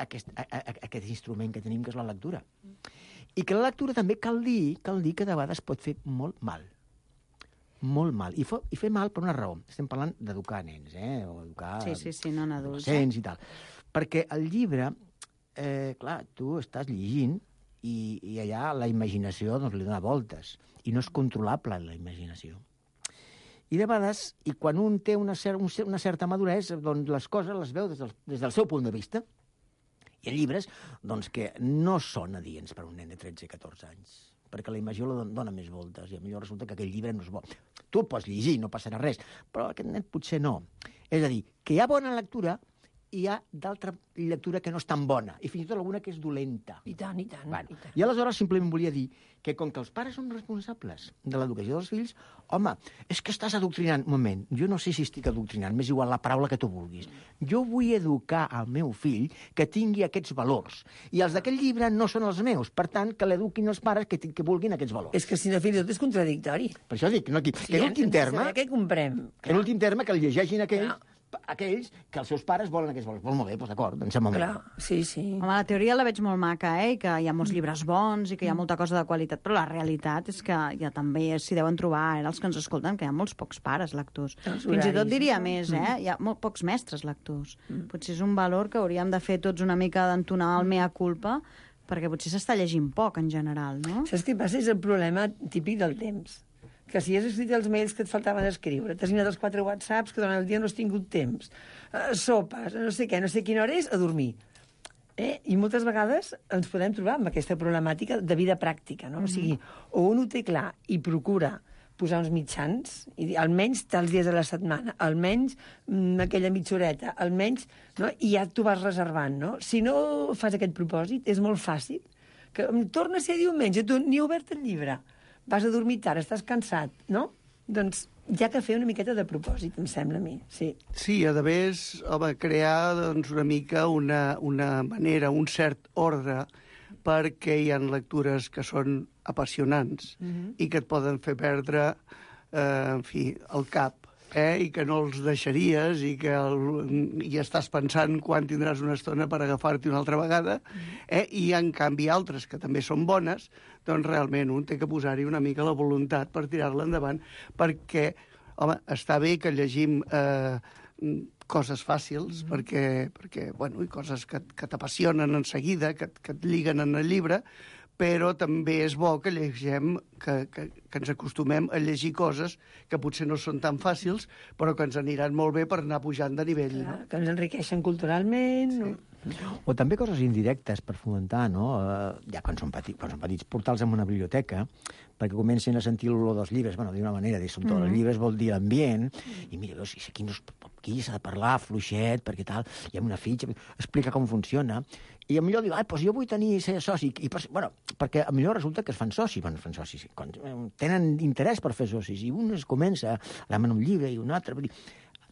aquest, a, a, aquest instrument que tenim, que és la lectura. Mm. I que la lectura també cal dir, cal dir que de vegades pot fer molt mal. Molt mal. I, fo, I fer mal per una raó. Estem parlant d'educar nens, eh? O educar... Sí, sí, sí, no en adults. Adolescents i tal. Perquè el llibre, eh, clar, tu estàs llegint i, i allà la imaginació doncs, li dona voltes. I no és controlable, la imaginació. I de vegades, i quan un té una, cer una certa maduresa, doncs les coses les veu des del, des del seu punt de vista. Hi ha llibres doncs, que no són adients per a un nen de tretze i catorze anys, perquè la imaginació la dona més voltes, i millor resulta que aquell llibre no és bo. Tu el pots llegir, no passarà res, però aquest nen potser no. És a dir, que hi ha bona lectura i hi ha d'altra lectura que no és tan bona, i fins i tot alguna que és dolenta. I tant, i tant. Bueno, i tant. I aleshores simplement volia dir que com que els pares són responsables de l'educació dels fills, home, és que estàs adoctrinant. Un moment, jo no sé si estic adoctrinant, m'és igual la paraula que tu vulguis. Jo vull educar al meu fill que tingui aquests valors. I els d'aquest llibre no són els meus. Per tant, que l'eduquin els pares que, que vulguin aquests valors. És que si no, fins i tot és contradictori. Per això dic, no, que, Sí, que en últim terme... Què comprem? En últim terme, que el llegeixin aquells... Clar. aquells que els seus pares volen aquests valors. Molt, molt bé, doncs d'acord, em sembla molt bé. Clar, sí, sí. Home, la teoria la veig molt maca, eh? I que hi ha molts llibres bons i que hi ha molta cosa de qualitat, però la realitat és que ja també s'hi deuen trobar, eh, els que ens escolten, que hi ha molts pocs pares lectors. Els Fins i tot horaris, diria no? més, eh? Mm. Hi ha molt pocs mestres lectors. Mm. Potser és un valor que hauríem de fer tots una mica d'entonar el mea culpa, perquè potser s'està llegint poc, en general, no? Saps què passa? És el problema típic del temps. que si has escrit els mails que et faltaven escriure, t'has anat els quatre whatsapps que durant el dia no has tingut temps, uh, sopes, no sé què, no sé quina hora és, a dormir. Eh? I moltes vegades ens podem trobar amb aquesta problemàtica de vida pràctica, no? Mm-hmm. O sigui, o un ho té clar i procura posar uns mitjans, i dir, almenys tals dies a la setmana, almenys mm, aquella mitja horeta, almenys, no? I ja t'ho vas reservant, no? Si no fas aquest propòsit, és molt fàcil que torna a ser diumenge, tu ni has obert el llibre, vas a dormir tard, estàs cansat, no? Doncs hi ha que fer una miqueta de propòsit, em sembla a mi, sí. Sí, a més, home, crear doncs, una mica una, una manera, un cert ordre, perquè hi ha lectures que són apassionants mm-hmm. i que et poden fer perdre, eh, en fi, el cap, eh, i que no els deixaries i que el, i estàs pensant quan tindràs una estona per agafar-t'hi una altra vegada, eh, i en canvi altres que també són bones, doncs realment un té que posar-hi una mica la voluntat per tirar-la endavant, perquè, home, està bé que llegim eh, coses fàcils, mm-hmm. perquè, perquè, bueno, i coses que, que t'apassionen en seguida, que, que et lliguen en el llibre, però també és bo que llegem, que, que, que ens acostumem a llegir coses que potser no són tan fàcils, però que ens aniran molt bé per anar pujant de nivell. Clar, no? Que ens enriqueixen culturalment. Sí. No? O també coses indirectes per fomentar, no? Uh, ja quan són, petits, quan són petits, portals en una biblioteca, perquè comencen a sentir l'olor dels llibres, bueno, d'una manera, dir, són tots mm-hmm. els llibres, vol dir l'ambient, i mira, veus, aquí, no, aquí s'ha de parlar fluixet, perquè tal, hi ha una fitxa, explica com funciona, i millor diu, ah, doncs jo vull tenir ser soci, i, bueno, perquè millor resulta que es fan socis, bueno, es fan socis, quan tenen interès per fer socis, i un es comença a demanar un llibre i un altre, vull dir,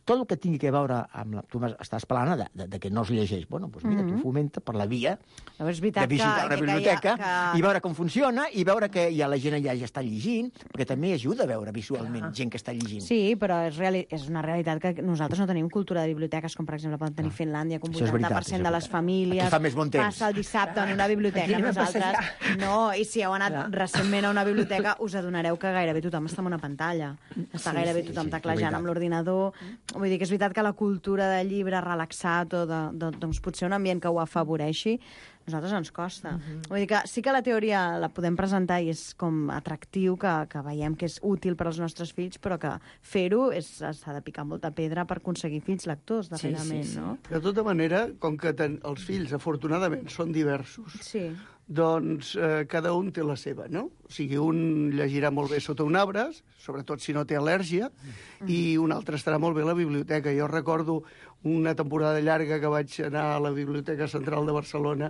tot el que tingui a veure amb la... Tu estàs parlant de, de, de que no es llegeix. Bueno, doncs mira, mm-hmm. tu fomenta per la via no, és de visitar que, una que, biblioteca que, que... i veure com funciona i veure que ja la gent allà ja està llegint, perquè també ajuda a veure visualment ah. gent que està llegint. Sí, però és, reali és una realitat que nosaltres no tenim cultura de biblioteques, com per exemple poden tenir ah. Finlàndia, com vuitanta per cent veritat, de les famílies fa més bon temps. Passa el dissabte en una biblioteca. Nosaltres no, i si heu anat Clar. recentment a una biblioteca us adonareu que gairebé tothom està en una pantalla. Està sí, gairebé sí, tothom sí, teclejant amb l'ordinador. Vull dir que és veritat que la cultura de llibre relaxat o de, de, doncs potser un ambient que ho afavoreixi, a nosaltres ens costa. Uh-huh. Vull dir que sí que la teoria la podem presentar i és com atractiu, que, que veiem que és útil per als nostres fills, però que fer-ho s'ha de picar molta pedra per aconseguir fills lectors, darrerament, sí, sí, sí. no? De tota manera, com que ten, els fills, afortunadament, són diversos, sí. doncs eh, cada un té la seva, no? O sigui, un llegirà molt bé sota un arbre, sobretot si no té al·lèrgia, mm. i un altre estarà molt bé a la biblioteca. Jo recordo una temporada llarga que vaig anar a la Biblioteca Central de Barcelona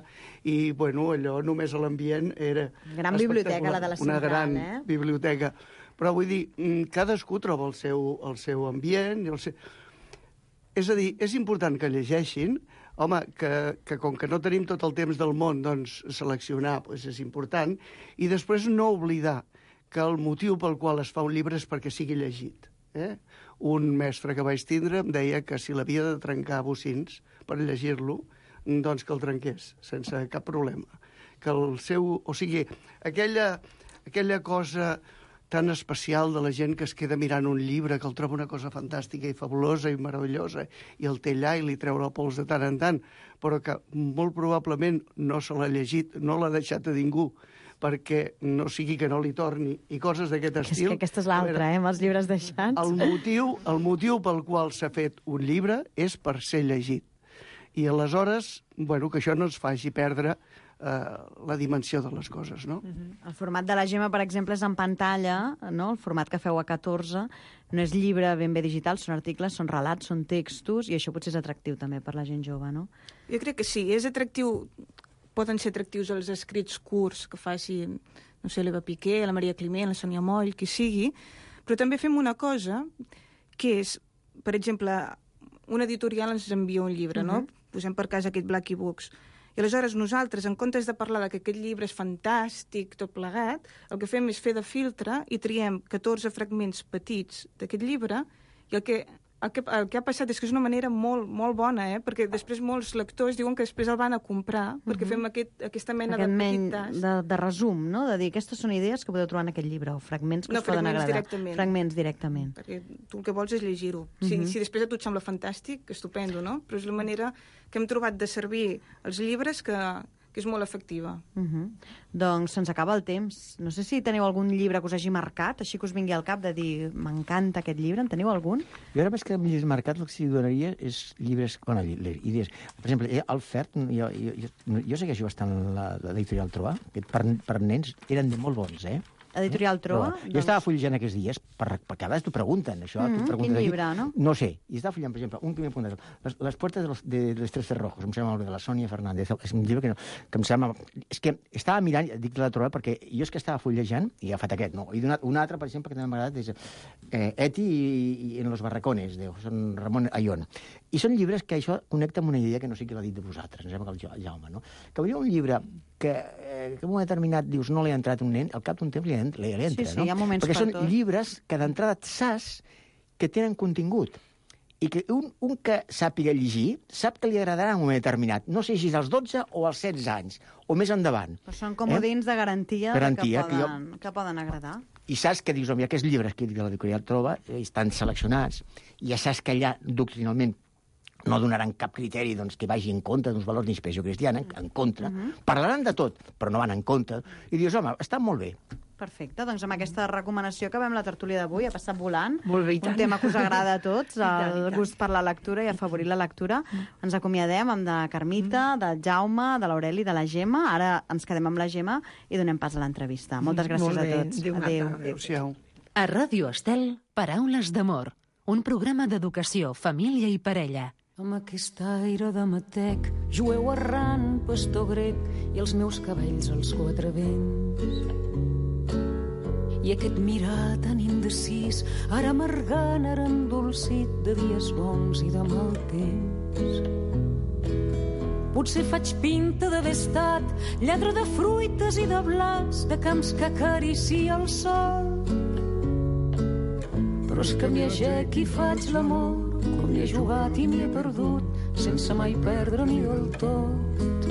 i, bueno, allò només a l'ambient era... Gran biblioteca, la de la Central, una gran eh? biblioteca. Però vull dir, cadascú troba el seu, el seu ambient i el seu... És a dir, és important que llegeixin, home, que, que com que no tenim tot el temps del món, doncs seleccionar doncs és important, i després no oblidar que el motiu pel qual es fa un llibre és perquè sigui llegit. Eh? Un mestre que vaig tindre em deia que si l'havia de trencar a bocins per llegir-lo, doncs que el trenqués, sense cap problema. Que el seu... O sigui, aquella, aquella cosa tan especial de la gent que es queda mirant un llibre, que el troba una cosa fantàstica i fabulosa i meravellosa, i el té allà i li treu la pols de tant en tant, però que molt probablement no se l'ha llegit, no l'ha deixat a ningú, perquè no sigui que no li torni, i coses d'aquest estil. És que aquesta és l'altra, eh, amb els llibres deixats. El motiu, el motiu pel qual s'ha fet un llibre és per ser llegit. I aleshores, bueno, que això no ens faci perdre Uh, la dimensió de les coses, no? Uh-huh. El format de la Gemma, per exemple, és en pantalla, no? El format que feu a catorze no és llibre ben bé digital, són articles, són relats, són textos, i això potser és atractiu també per la gent jove, no? Jo crec que sí, és atractiu, poden ser atractius els escrits curts que faci, no sé, l'Eva Piqué, la Maria Climent, la Sònia Moll, qui sigui, però també fem una cosa que és, per exemple, una editorial ens envia un llibre, uh-huh. no? Posem per cas aquest Blacky Books. I aleshores nosaltres, en comptes de parlar de que aquest llibre és fantàstic, tot plegat, el que fem és fer de filtre i triem catorze fragments petits d'aquest llibre i el que, el, que, el que ha passat és que és una manera molt, molt bona, eh? Perquè després molts lectors diuen que després el van a comprar perquè fem aquest, aquesta mena aquest de petit tas. De, de resum, no? De dir, aquestes són idees que podeu trobar en aquest llibre, o fragments que no, us poden agradar. Directament. Fragments directament. Perquè tu el que vols és llegir-ho. Uh-huh. Si, si després a tu et sembla fantàstic, estupendo, no? Però és la manera que hem trobat de servir els llibres que, que és molt efectiva. Uh -huh. Doncs se'ns acaba el temps. No sé si teniu algun llibre que us hagi marcat, així que us vingui al cap de dir m'encanta aquest llibre. En teniu algun? Jo ara més que llibres marcats el que s'hi donaria és llibres, bueno, idees. Per exemple, el Fert, jo, jo, jo, jo segueixo bastant l'editorial Troa, que per, per nens eren de molt bons, eh? Editorial Troa? Troa. Jo estava fullejant aquests dies, per, per cada vegada t'ho pregunten, això. Mm -hmm, pregunten quin llibre, no? No sé. I estava fullant, per exemple, un que m'he apuntat, les, les puertes de los, de, de los tres cerrojos, em sembla molt bé, de la Sònia Fernández. És un llibre que, no, que em sembla... És que estava mirant, dic de la Troa, perquè jo és que estava fullejant, i he agafat aquest, no? I donat un altre, per exemple, que també m'ha agradat, és eh, Eti i, i en los barracones, de José Ramón Ayón. I són llibres que això connecta amb una idea que no sé qui l'ha dit de vosaltres, em sembla que el Jaume, no? Que hauria un llibre que, eh, que en un moment determinat dius no l'he entrat un nen, al cap d'un temps li, li, li entra, sí, sí, no? Hi ha moments perquè per són tot. llibres que d'entrada saps que tenen contingut i que un, un que sàpiga llegir sap que li agradarà en un moment determinat. No sé si és als dotze o als setze anys, o més endavant. Però són comodins eh? de garantia, garantia que, poden, que, jo... que poden agradar. I saps que dius, home, aquests llibres que de l'editorial Troba eh, estan seleccionats, i ja saps que allà, doctrinalment, no donaran cap criteri doncs, que vagi en contra d'uns valors d'inspiració cristiana, en, en contra. Uh -huh. Parlaran de tot, però no van en contra. I dius, home, està molt bé. Perfecte, doncs amb aquesta recomanació acabem la tertúlia d'avui, ha passat volant. Molt bé, i tant. Un tema que us agrada a tots, I tant, i el tant. gust per la lectura i afavorir la lectura. Ens acomiadem amb de Carmita, de Jaume, de l'Aureli, de la Gemma. Ara ens quedem amb la Gemma i donem pas a l'entrevista. Moltes gràcies Molt bé. a tots. Adéu. Adéu. Adéu-siau. A Ràdio Estel, Paraules d'amor, un programa d'educació, família i parella. Amb aquest aire de matec, jueu errant, pastor grec, i els meus cabells als quatre vents. I aquest mirar tan indecis, ara amargant, ara endolcit, de dies bons i de mal temps. Potser faig pinta d'haver estat lladre de fruites i de blas, de camps que acaricia el sol. Però és que m'hi aixec i faig l'amor, com m'hi he jugat i m'hi he perdut, sense mai perdre-m'hi del tot.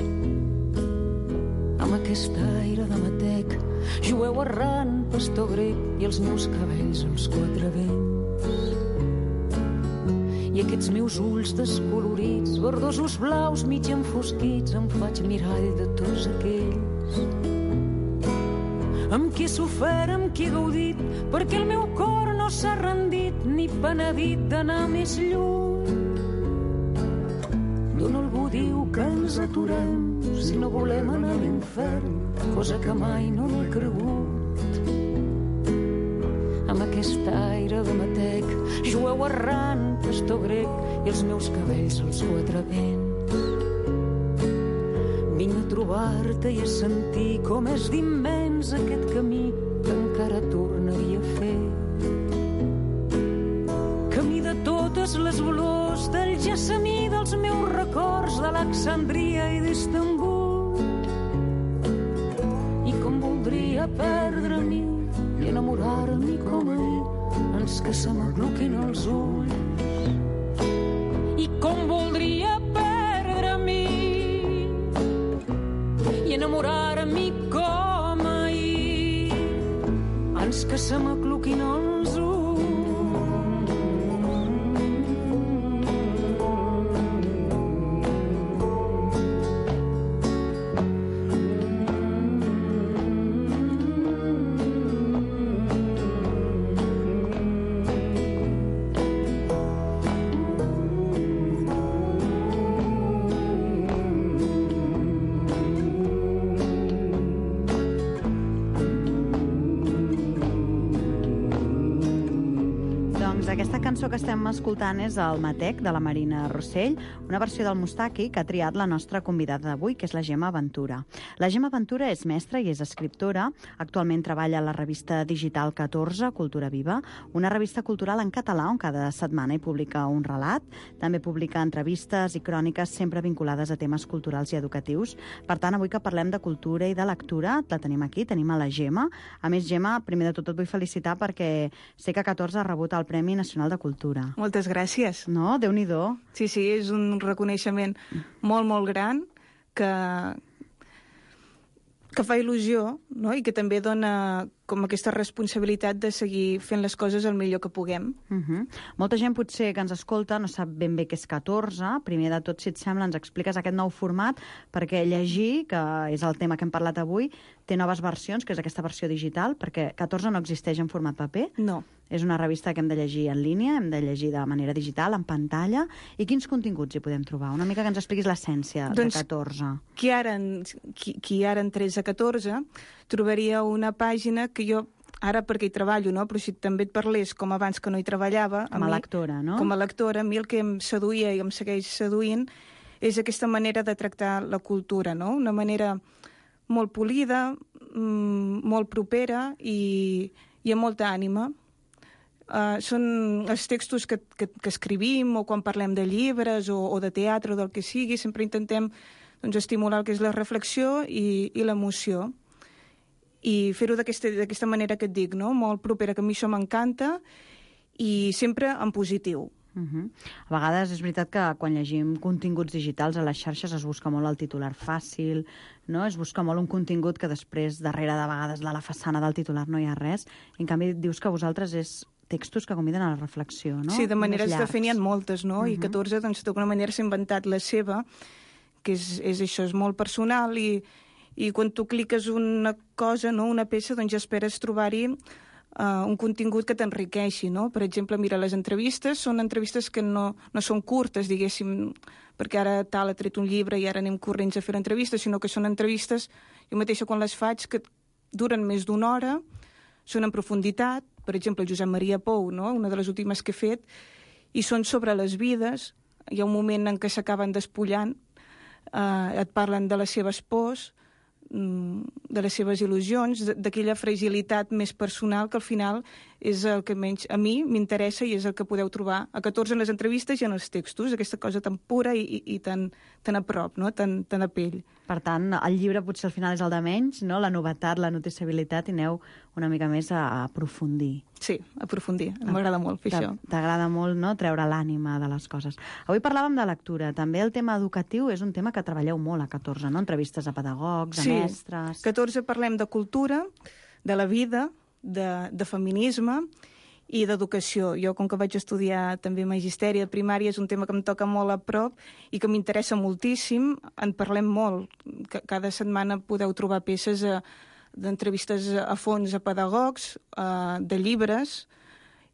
Amb aquest aire de matec, jueu errant, pastor grec, i els meus cabells als quatre vents. I aquests meus ulls descolorits, verdosos blaus mig enfosquits, em faig mirall de tots aquells amb qui he sofert, amb qui he gaudit, perquè el meu cor no s'ha rendit ni penedit d'anar més lluny. D'on algú diu que ens aturem si no volem anar a l'infern, cosa que mai no l'he cregut. Amb aquest aire de matec, jueu errant, pastor grec, i els meus cabells als quatre vents. Vinc a trobar-te i a sentir com és d'immens aquest camí que encara tornaria a fer. Camí de totes les olors, del gessamí dels meus records, d'Alexandria i d'Istanbul. I com voldria perdre-m'hi i enamorar-m'hi com ahir, ens que se m'agluquin els ulls. I com voldria perdre-m'hi i enamorar-m'hi com ahir, ans que se m'acluquin els ulls. Aquesta cançó que estem escoltant és el Matec, de la Marina Rossell, una versió del Mustaki que ha triat la nostra convidada d'avui, que és la Gemma Ventura. La Gemma Ventura és mestra i és escriptora. Actualment treballa a la revista digital catorze, Cultura Viva, una revista cultural en català on cada setmana hi publica un relat. També publica entrevistes i cròniques sempre vinculades a temes culturals i educatius. Per tant, avui que parlem de cultura i de lectura, la tenim aquí, tenim a la Gemma. A més, Gemma, primer de tot et vull felicitar perquè sé que catorze ha rebut el Premi Nacional de Cultura. Moltes gràcies. No? Déu-n'hi-do. Sí, sí, és un reconeixement molt, molt gran que, que fa il·lusió, no? I que també dona com aquesta responsabilitat de seguir fent les coses el millor que puguem. Uh -huh. Molta gent potser que ens escolta no sap ben bé què és catorze. Primer de tot, si et sembla, ens expliques aquest nou format, perquè llegir, que és el tema que hem parlat avui, té noves versions, que és aquesta versió digital, perquè catorze no existeix en format paper. No. És una revista que hem de llegir en línia, hem de llegir de manera digital, en pantalla. I quins continguts hi podem trobar? Una mica que ens expliquis l'essència doncs, de catorze. Qui ara, qui, qui ara entrés a catorze trobaria una pàgina que jo, ara perquè hi treballo, no? Però si també et parlés com abans que no hi treballava... Com a, a mi, lectora, no? Com a lectora, a mi el que em seduïa i em segueix seduint és aquesta manera de tractar la cultura, no? Una manera molt polida, molt propera i, i amb molta ànima. Uh, són els textos que, que, que escrivim o quan parlem de llibres o, o de teatre o del que sigui, sempre intentem doncs, estimular el que és la reflexió i, i l'emoció. I fer-ho d'aquesta manera que et dic, no? Molt propera, que a mi això m'encanta, i sempre en positiu. Uh -huh. A vegades és veritat que quan llegim continguts digitals a les xarxes es busca molt el titular fàcil, no? Es busca molt un contingut que després, darrere de vegades de la façana del titular no hi ha res. En canvi, dius que vosaltres és textos que conviden a la reflexió, no? Sí, de maneres de fer n'hi ha moltes, no? Uh -huh. I catorze, doncs, d'alguna manera s'ha inventat la seva, que és, és això, és molt personal, i, i quan tu cliques una cosa, no?, una peça, doncs ja esperes trobar-hi uh, un contingut que t'enriqueixi, no? Per exemple, mira, les entrevistes són entrevistes que no, no són curtes, diguéssim, perquè ara tal ha tret un llibre i ara anem corrents a fer entrevistes, sinó que són entrevistes, jo mateixa quan les faig, que duren més d'una hora, són en profunditat. Per exemple, Josep Maria Pou, no?, una de les últimes que he fet, i són sobre les vides. Hi ha un moment en què s'acaben despullant, eh, et parlen de les seves pors, de les seves il·lusions, d'aquella fragilitat més personal que al final és el que menys a mi m'interessa i és el que podeu trobar a catorze en les entrevistes i en els textos, aquesta cosa tan pura i, i, i tan, tan a prop, no?, tan, tan a pell. Per tant, el llibre potser al final és el de menys, no?, la novetat, la noticiabilitat, i aneu una mica més a, a aprofundir. Sí, aprofundir. M'agrada molt fer això. T'agrada molt, no?, treure l'ànima de les coses. Avui parlàvem de lectura. També el tema educatiu és un tema que treballeu molt a catorze, no?, entrevistes a pedagogs, a sí. mestres... Sí, catorze parlem de cultura, de la vida, de, de feminisme i d'educació. Jo, com que vaig estudiar també magisteri de primària, és un tema que em toca molt a prop i que m'interessa moltíssim. En parlem molt. Cada setmana podeu trobar peces a, d'entrevistes a fons a pedagogs, a, de llibres,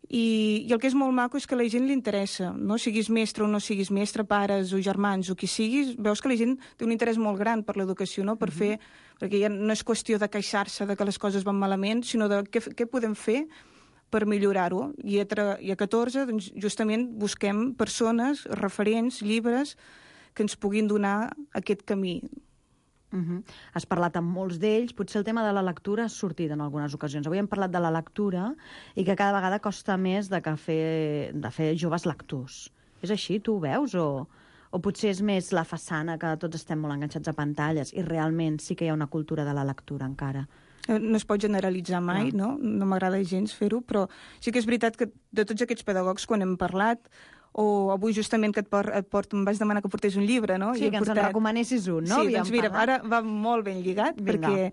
i, i el que és molt maco és que a la gent li interessa, no? Siguis mestre o no siguis mestre, pares o germans o qui siguis, veus que la gent té un interès molt gran per l'educació, no? Per fer, perquè ja no és qüestió de queixar-se de que les coses van malament, sinó de què, què podem fer per millorar-ho. I a, I a catorze, doncs, justament busquem persones, referents, llibres, que ens puguin donar aquest camí. Uh -huh. Has parlat amb molts d'ells, potser el tema de la lectura ha sortit en algunes ocasions. Avui hem parlat de la lectura i que cada vegada costa més de, que fer, de fer joves lectors. És així? Tu ho veus? O, o potser és més la façana, que tots estem molt enganxats a pantalles i realment sí que hi ha una cultura de la lectura encara? No es pot generalitzar mai, no? No m'agrada gens fer-ho, però sí que és veritat que de tots aquests pedagogs, quan hem parlat, o avui justament que et, por, et port, em vas demanar que portés un llibre, no? Sí, I que ens portat... en recomanessis un, no? Sí, doncs mira, ara va molt ben lligat, Vinga. perquè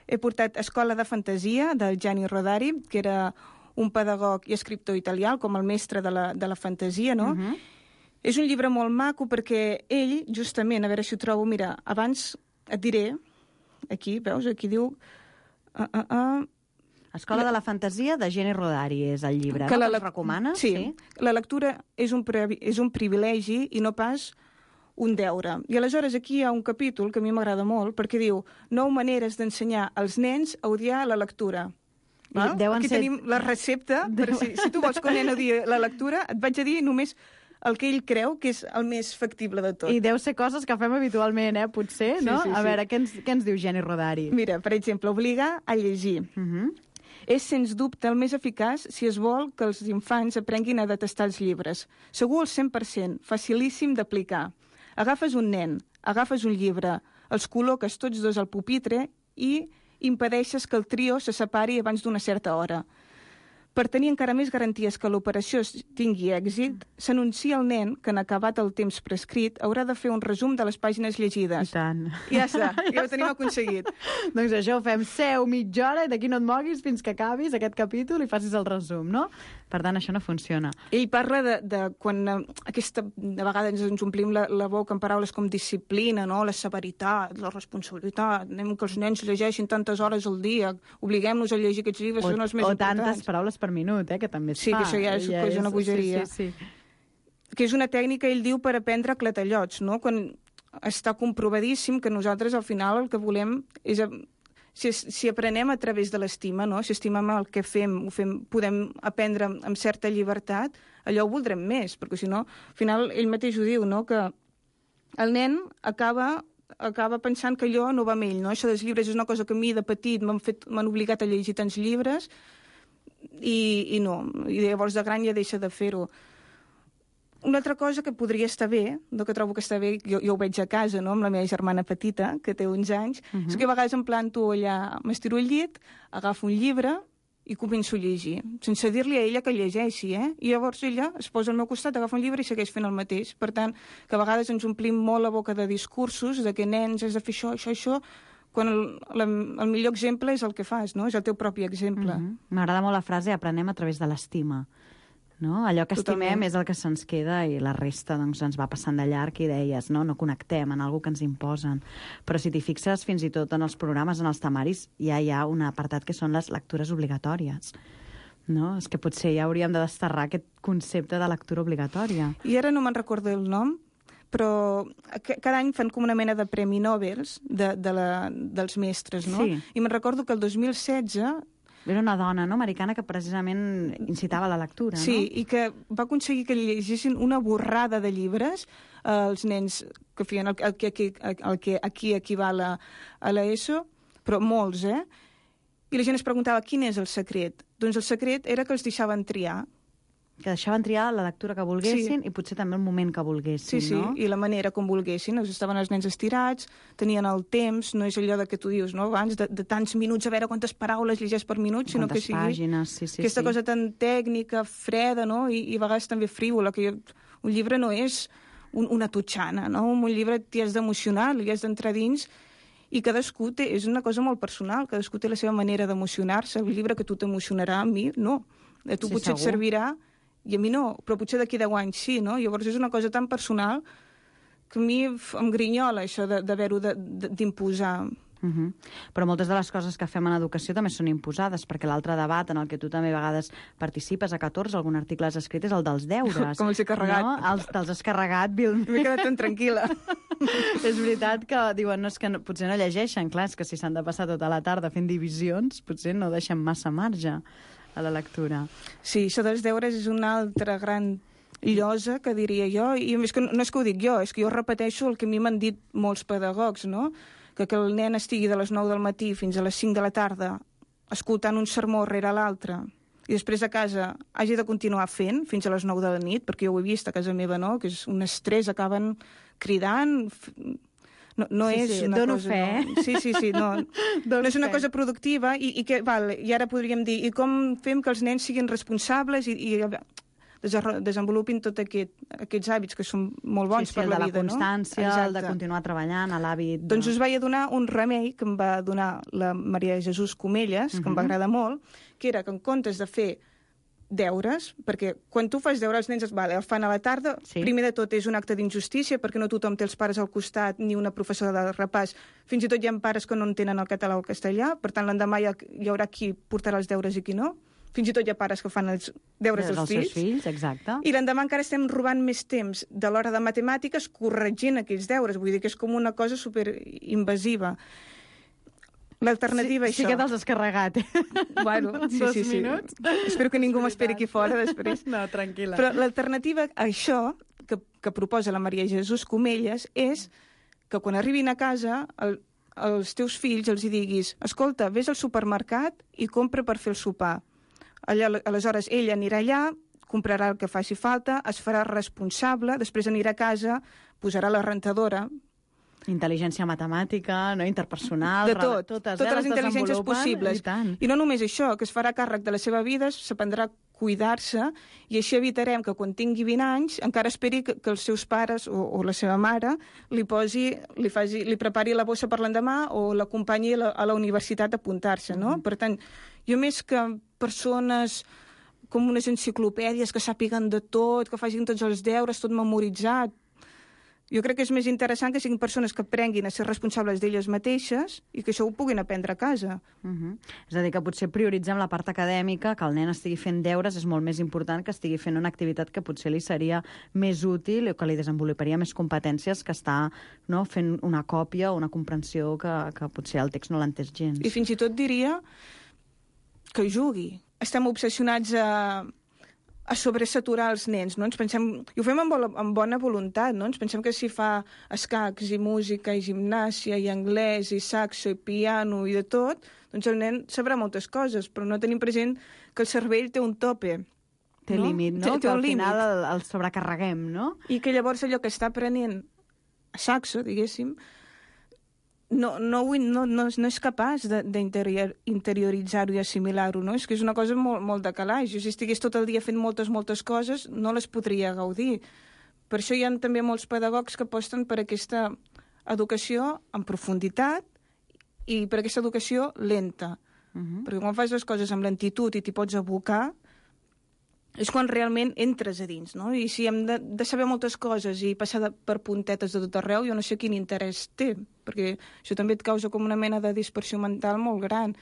he portat Escola de Fantasia, del Gianni Rodari, que era un pedagog i escriptor italià, com el mestre de la, de la fantasia, no? Uh -huh. És un llibre molt maco perquè ell, justament, a veure si ho trobo, mira, abans et diré, aquí, veus, aquí diu... Uh, uh, uh, Escola de la Fantasia, de Gianni Rodari, és el llibre, que no? La le... recomana? Sí. sí. La lectura és un, pre... és un privilegi i no pas un deure. I aleshores aquí hi ha un capítol que a mi m'agrada molt, perquè diu nou maneres d'ensenyar als nens a odiar la lectura. Aquí ser... tenim la recepta, per si, si tu vols que un nen odiï la lectura, et vaig a dir només el que ell creu que és el més factible de tot. I deu ser coses que fem habitualment, eh, potser, no? Sí, sí, a veure, sí. què, ens, què ens diu Gianni Rodari? Mira, per exemple, obligar a llegir. Uh -huh. És, sens dubte, el més eficaç si es vol que els infants aprenguin a detestar els llibres. Segur al cent per cent, facilíssim d'aplicar. Agafes un nen, agafes un llibre, els col·loques tots dos al pupitre i impedeixes que el trio se separi abans d'una certa hora. Per tenir encara més garanties que l'operació tingui èxit, s'anuncia al nen que en acabat el temps prescrit haurà de fer un resum de les pàgines llegides. I tant. I ja està, ja ho tenim aconseguit. Doncs això, fem seu mitja hora i d'aquí no et moguis fins que acabis aquest capítol i facis el resum, no? Per tant, això no funciona. Ell parla de, de quan eh, aquesta, de vegades ens omplim la, la boca amb paraules com disciplina, no? La severitat, la responsabilitat, anem que els nens llegeixin tantes hores al dia, obliguem-nos a llegir aquests llibres, O, són els més o importants. tantes paraules per minut, eh, que també es Sí, fa. que això ja és, ja és una bogeria. Sí, sí, sí. Que és una tècnica, ell diu, per aprendre clatellots, no? Quan està comprovadíssim que nosaltres, al final, el que volem és... Si, si aprenem a través de l'estima, no? Si estimem el que fem, ho fem, podem aprendre amb, amb certa llibertat, allò ho voldrem més, perquè si no, al final, ell mateix ho diu, no? Que el nen acaba acaba pensant que allò no va amb ell, no? Això dels llibres és una cosa que a mi de petit m'han fet, m'han obligat a llegir tants llibres i, i no, i llavors de gran ja deixa de fer-ho. Una altra cosa que podria estar bé, no que trobo que està bé, jo, jo ho veig a casa, no?, amb la meva germana petita, que té uns anys, uh -huh. és que a vegades em planto allà, m'estiro al llit, agafo un llibre i començo a llegir, sense dir-li a ella que llegeixi, eh? I llavors ella es posa al meu costat, agafa un llibre i segueix fent el mateix. Per tant, que a vegades ens omplim molt la boca de discursos, de que nens has de fer això, això, això, quan el, el, el millor exemple és el que fas, no? És el teu propi exemple. Uh -huh. M'agrada molt la frase aprenem a través de l'estima. No? Allò que estimem Totalment. és el que se'ns queda i la resta doncs, ens va passant de llarg i deies, no? No connectem en alguna que ens imposen. Però si t'hi fixes, fins i tot en els programes, en els temaris, ja hi ha un apartat que són les lectures obligatòries. No? És que potser ja hauríem de desterrar aquest concepte de lectura obligatòria. I ara no me'n recordo el nom, però cada any fan com una mena de premi Nobel de, de la, dels mestres, no? Sí. I me'n recordo que el dos mil setze... Era una dona, no?, americana que precisament incitava a la lectura, sí, no? Sí, i que va aconseguir que llegissin una borrada de llibres als eh, nens que feien el, el, que, el, el que aquí equival a, a l'ESO, però molts, eh? I la gent es preguntava quin és el secret. Doncs el secret era que els deixaven triar. Que deixaven triar la lectura que volguessin Sí. i potser també el moment que volguessin, Sí, sí, no? i la manera com volguessin. Estaven els nens estirats, tenien el temps, no és allò de que tu dius, no?, abans, de, de tants minuts, a veure quantes paraules llegeix per minut, sinó Quantes que sigui pàgines, sí, sí, aquesta sí. cosa tan tècnica, freda, no?, I, i a vegades també frívola, que jo, un llibre no és un, una totxana, no? Un llibre t'hi has d'emocionar, li has d'entrar dins, i cadascú té, és una cosa molt personal, cadascú té la seva manera d'emocionar-se. El llibre que tu t'emocionarà, a mi no. A tu Sí, potser et segur. servirà i a mi no, però potser d'aquí deu anys sí, no? Llavors és una cosa tan personal que a mi em grinyola això d'haver-ho d'imposar. Uh -huh. Però moltes de les coses que fem en educació també són imposades, perquè l'altre debat en el que tu també a vegades participes, a catorze, algun article has escrit, és el dels deures. Com els he carregat. No? Els, te'ls has carregat, Bill. M'he quedat tan tranquil·la. És veritat que diuen, no, és que no, potser no llegeixen, clar, és que si s'han de passar tota la tarda fent divisions, potser no deixen massa marge a la lectura. Sí, això dels deures és una altra gran llosa, que diria jo, i a més que no, no és que ho dic jo, és que jo repeteixo el que a mi m'han dit molts pedagogs, no?, que, que el nen estigui de les nou del matí fins a les cinc de la tarda escoltant un sermó rere l'altre i després a casa hagi de continuar fent fins a les nou de la nit, perquè jo ho he vist a casa meva, no?, que és un estrès, acaben cridant... No, no Sí, és sí, una dono cosa... fe. No. Sí, sí, sí, no, no és una fe. cosa productiva i, i, que, val, i ara podríem dir, i com fem que els nens siguin responsables i, i desenvolupin tots aquest, aquests hàbits que són molt bons sí, sí, per la vida, no? El de la constància, no? el de continuar treballant, l'hàbit... De... Doncs us vaig donar un remei que em va donar la Maria Jesús Comelles, uh -huh. que em va agradar molt, que era que en comptes de fer deures, perquè quan tu fas deures els nens vale, el fan a la tarda, Sí. primer de tot és un acte d'injustícia perquè no tothom té els pares al costat ni una professora de repàs, fins i tot hi ha pares que no entenen el català o el castellà, per tant l'endemà hi, ha, hi haurà qui portarà els deures i qui no, fins i tot hi ha pares que fan els deures dels, dels fills, seus fills, exacte. i l'endemà encara estem robant més temps de l'hora de matemàtiques corregint aquells deures, vull dir que és com una cosa superinvasiva. L'alternativa sí, a això... Sí que te'ls has carregat, eh? Bueno, sí, Dos sí, sí. minuts. Espero que ningú m'esperi aquí fora després. No, tranquil·la. Però l'alternativa a això que, que proposa la Maria Jesús Comelles és que quan arribin a casa el, els teus fills els hi diguis escolta, vés al supermercat i compra per fer el sopar. Allà, aleshores ella anirà allà, comprarà el que faci falta, es farà responsable, després anirà a casa, posarà la rentadora, Intel·ligència matemàtica, no? Interpersonal... De tot, totes, totes eh? les intel·ligències desenvolupen, possibles. I, tant. I no només això, que es farà càrrec de la seva vida, s'aprendrà a cuidar-se, i així evitarem que quan tingui vint anys encara esperi que, que els seus pares o, o la seva mare li posi, li, faci, li prepari la bossa per l'endemà o l'acompanyi a, la, a la universitat a apuntar-se, no? Mm. Per tant, jo més que persones com unes enciclopèdies que sàpiguen de tot, que facin tots els deures, tot memoritzat, jo crec que és més interessant que siguin persones que aprenguin a ser responsables d'elles mateixes i que això ho puguin aprendre a casa. Uh -huh. És a dir, que potser prioritzem la part acadèmica, que el nen estigui fent deures és molt més important que estigui fent una activitat que potser li seria més útil o que li desenvoluparia més competències que està, no, fent una còpia o una comprensió que, que potser el text no l'entès gens. I fins i tot diria que jugui. Estem obsessionats a... a sobresaturar els nens, no? Ens pensem, i ho fem amb, amb bona voluntat, no? Ens pensem que si fa escacs i música i gimnàsia i anglès i saxo i piano i de tot, doncs el nen sabrà moltes coses, però no tenim present que el cervell té un tope. Té no? límit, no? Té, té que al un límit. final el, el sobrecarreguem, no? I que llavors allò que està aprenent a saxo, diguéssim, no, no, no, no, no és capaç d'interioritzar-ho i assimilar-ho, no? És que és una cosa molt, molt de calaix. Jo, si estigués tot el dia fent moltes, moltes coses, no les podria gaudir. Per això hi ha també molts pedagogs que aposten per aquesta educació en profunditat i per aquesta educació lenta. Uh-huh. Perquè quan fas les coses amb lentitud i t'hi pots abocar, és quan realment entres a dins, no? I si hem de, de saber moltes coses i passar de, per puntetes de tot arreu, jo no sé quin interès té, perquè això també et causa com una mena de dispersió mental molt gran.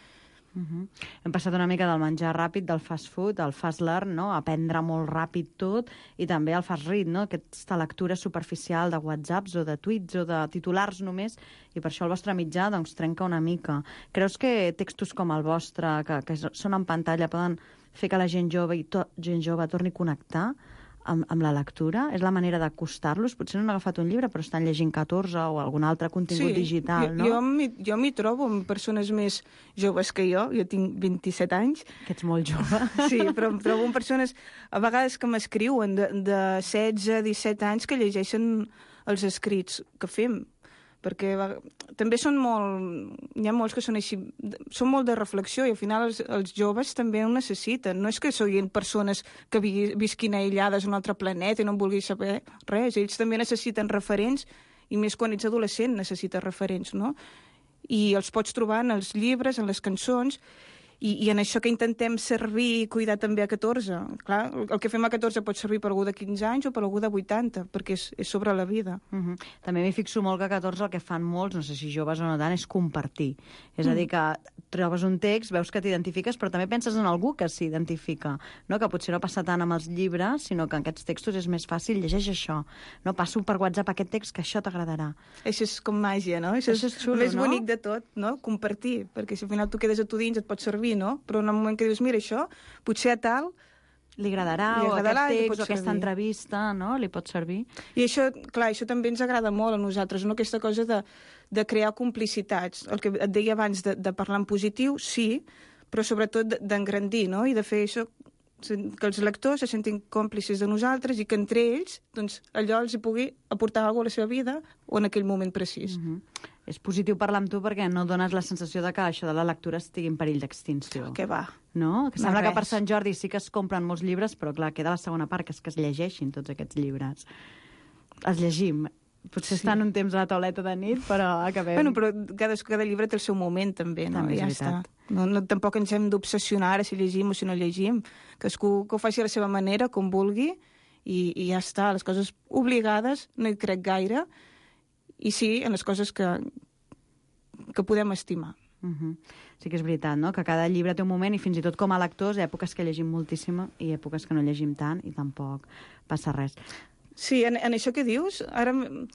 Uh-huh. Hem passat una mica del menjar ràpid, del fast food, al fast learn, no? Aprendre molt ràpid tot, i també al fast read, no? Aquesta lectura superficial de whatsapps o de tuits o de titulars només, i per això el vostre mitjà doncs, trenca una mica. Creus que textos com el vostre, que, que són en pantalla, poden fer que la gent jove i to gent jove torni a connectar amb, amb la lectura? És la manera d'acostar-los? Potser no han agafat un llibre, però estan llegint catorze o algun altre contingut sí, digital, jo, no? Jo m'hi trobo amb persones més joves que jo. Jo tinc vint-i-set anys. Que ets molt jove. Sí, però em trobo amb persones, a vegades, que m'escriuen de, de setze, disset anys que llegeixen els escrits que fem. Perquè va, també són molt... Hi ha molts que són així... Són molt de reflexió i al final els, els joves també ho necessiten. No és que siguin persones que vi, visquin aïllades a un altre planeta i no en vulguin saber res. Ells també necessiten referents i més quan ets adolescent necessites referents, no? I els pots trobar en els llibres, en les cançons, i, i en això que intentem servir i cuidar també a catorze. Clar, el que fem a catorze pot servir per algú de quinze anys o per algú de vuitanta, perquè és, és sobre la vida. Uh-huh. També m'hi fixo molt que a catorze el que fan molts, no sé si joves o no tant, és compartir. És a dir, que trobes un text, veus que t'identifiques, però també penses en algú que s'identifica, no? Que potser no passa tant amb els llibres, sinó que en aquests textos és més fàcil, llegeix això. No? Passo per WhatsApp aquest text que això t'agradarà. Això és com màgia, no? Això, això és xulo, el més no? bonic de tot, no? Compartir, perquè si al final tu quedes a tu dins et pot servir, no? Però en el moment que dius, mira, això, potser a tal... Li agradarà, li agradarà o aquest text, o aquesta servir. entrevista, no? Li pot servir. I això, clar, això també ens agrada molt a nosaltres, no? Aquesta cosa de, de crear complicitats. El que et deia abans de, de parlar en positiu, sí, però sobretot d'engrandir, no? I de fer això, que els lectors se sentin còmplices de nosaltres i que entre ells, doncs, allò els hi pugui aportar alguna cosa a la seva vida o en aquell moment precís. Uh-huh. És positiu parlar amb tu perquè no dones la sensació de que això de la lectura estigui en perill d'extinció. Què va? No? Que No sembla res. que per Sant Jordi sí que es compren molts llibres, però clar, queda la segona part, que és que es llegeixin tots aquests llibres. Els llegim. Potser Sí. estan un temps a la tauleta de nit, però acabem... Bueno, però cada, cada llibre té el seu moment, també, no? També és Ja veritat. està. No, no, tampoc ens hem d'obsessionar ara si llegim o si no llegim. Cadascú que ho faci a la seva manera, com vulgui, i, i ja està. Les coses obligades no hi crec gaire, i sí en les coses que, que podem estimar. Uh-huh. Sí que és veritat, no? Que cada llibre té un moment i fins i tot com a lectors, èpoques que llegim moltíssim i èpoques que no llegim tant i tampoc passa res. Sí, en, en això que dius, ara m-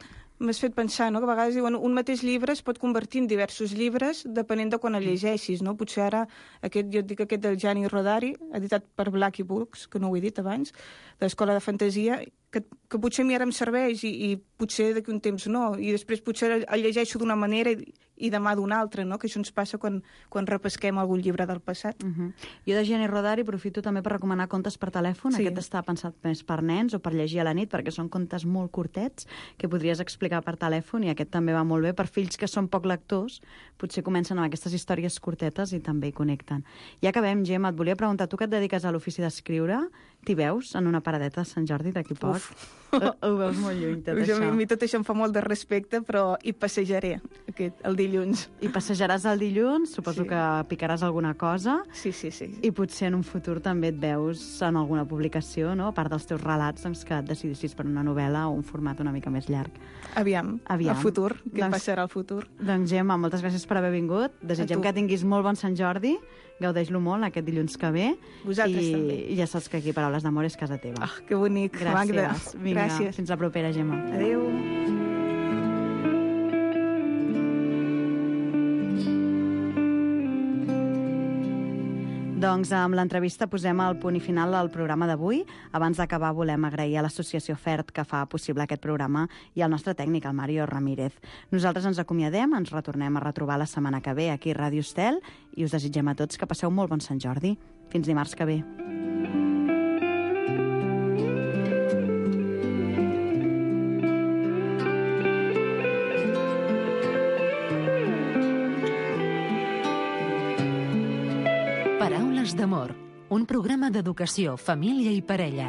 m'has fet pensar, no? Que a vegades diuen un mateix llibre es pot convertir en diversos llibres depenent de quan el llegeixis, no? Potser ara, aquest, jo et dic aquest del Gianni Rodari, editat per Blackie Books, que no ho he dit abans, de l'Escola de Fantasia, que, que potser a mi ara em serveix i, i potser d'aquí un temps no, i després potser el llegeixo d'una manera i, i demà d'una altra, no? Que això ens passa quan, quan repesquem algun llibre del passat. Uh -huh. Jo de Jenny Rodari aprofito també per recomanar contes per telèfon. Sí. Aquest està pensat més per nens o per llegir a la nit, perquè són contes molt curtets que podries explicar per telèfon, i aquest també va molt bé per fills que són poc lectors. Potser comencen amb aquestes històries curtetes i també hi connecten. I acabem, Gemma, et volia preguntar, tu que et dediques a l'ofici d'escriure, t'hi veus en una paradeta de Sant Jordi d'aquí poc? Ho, ho veus molt lluny, tot això. això. A mi tot això em fa molt de respecte, però hi passejaré aquest, el dilluns. I passejaràs el dilluns, suposo sí. que picaràs alguna cosa. Sí, sí, sí. I potser en un futur també et veus en alguna publicació, no? A part dels teus relats, doncs, que et decidissis per una novel·la o un format una mica més llarg. Aviam, Aviam. el futur, què doncs, passarà al futur. Doncs, Gemma, moltes gràcies per haver vingut. Desitgem que tinguis molt bon Sant Jordi. Gaudeix-lo molt aquest dilluns que ve. Vosaltres I, també. I ja saps que aquí Paraules d'Amor és casa teva. Ah, que bonic, gràcies. Magda. Vinga, gràcies. Fins la propera, Gemma. Adéu. Doncs amb l'entrevista posem el punt i final al programa d'avui. Abans d'acabar volem agrair a l'associació FERT que fa possible aquest programa i al nostre tècnic, el Mario Ramírez. Nosaltres ens acomiadem, ens retornem a retrobar la setmana que ve aquí a Ràdio Estel i us desitgem a tots que passeu molt bon Sant Jordi. Fins dimarts que ve. Paraules d'amor, un programa d'educació, família i parella.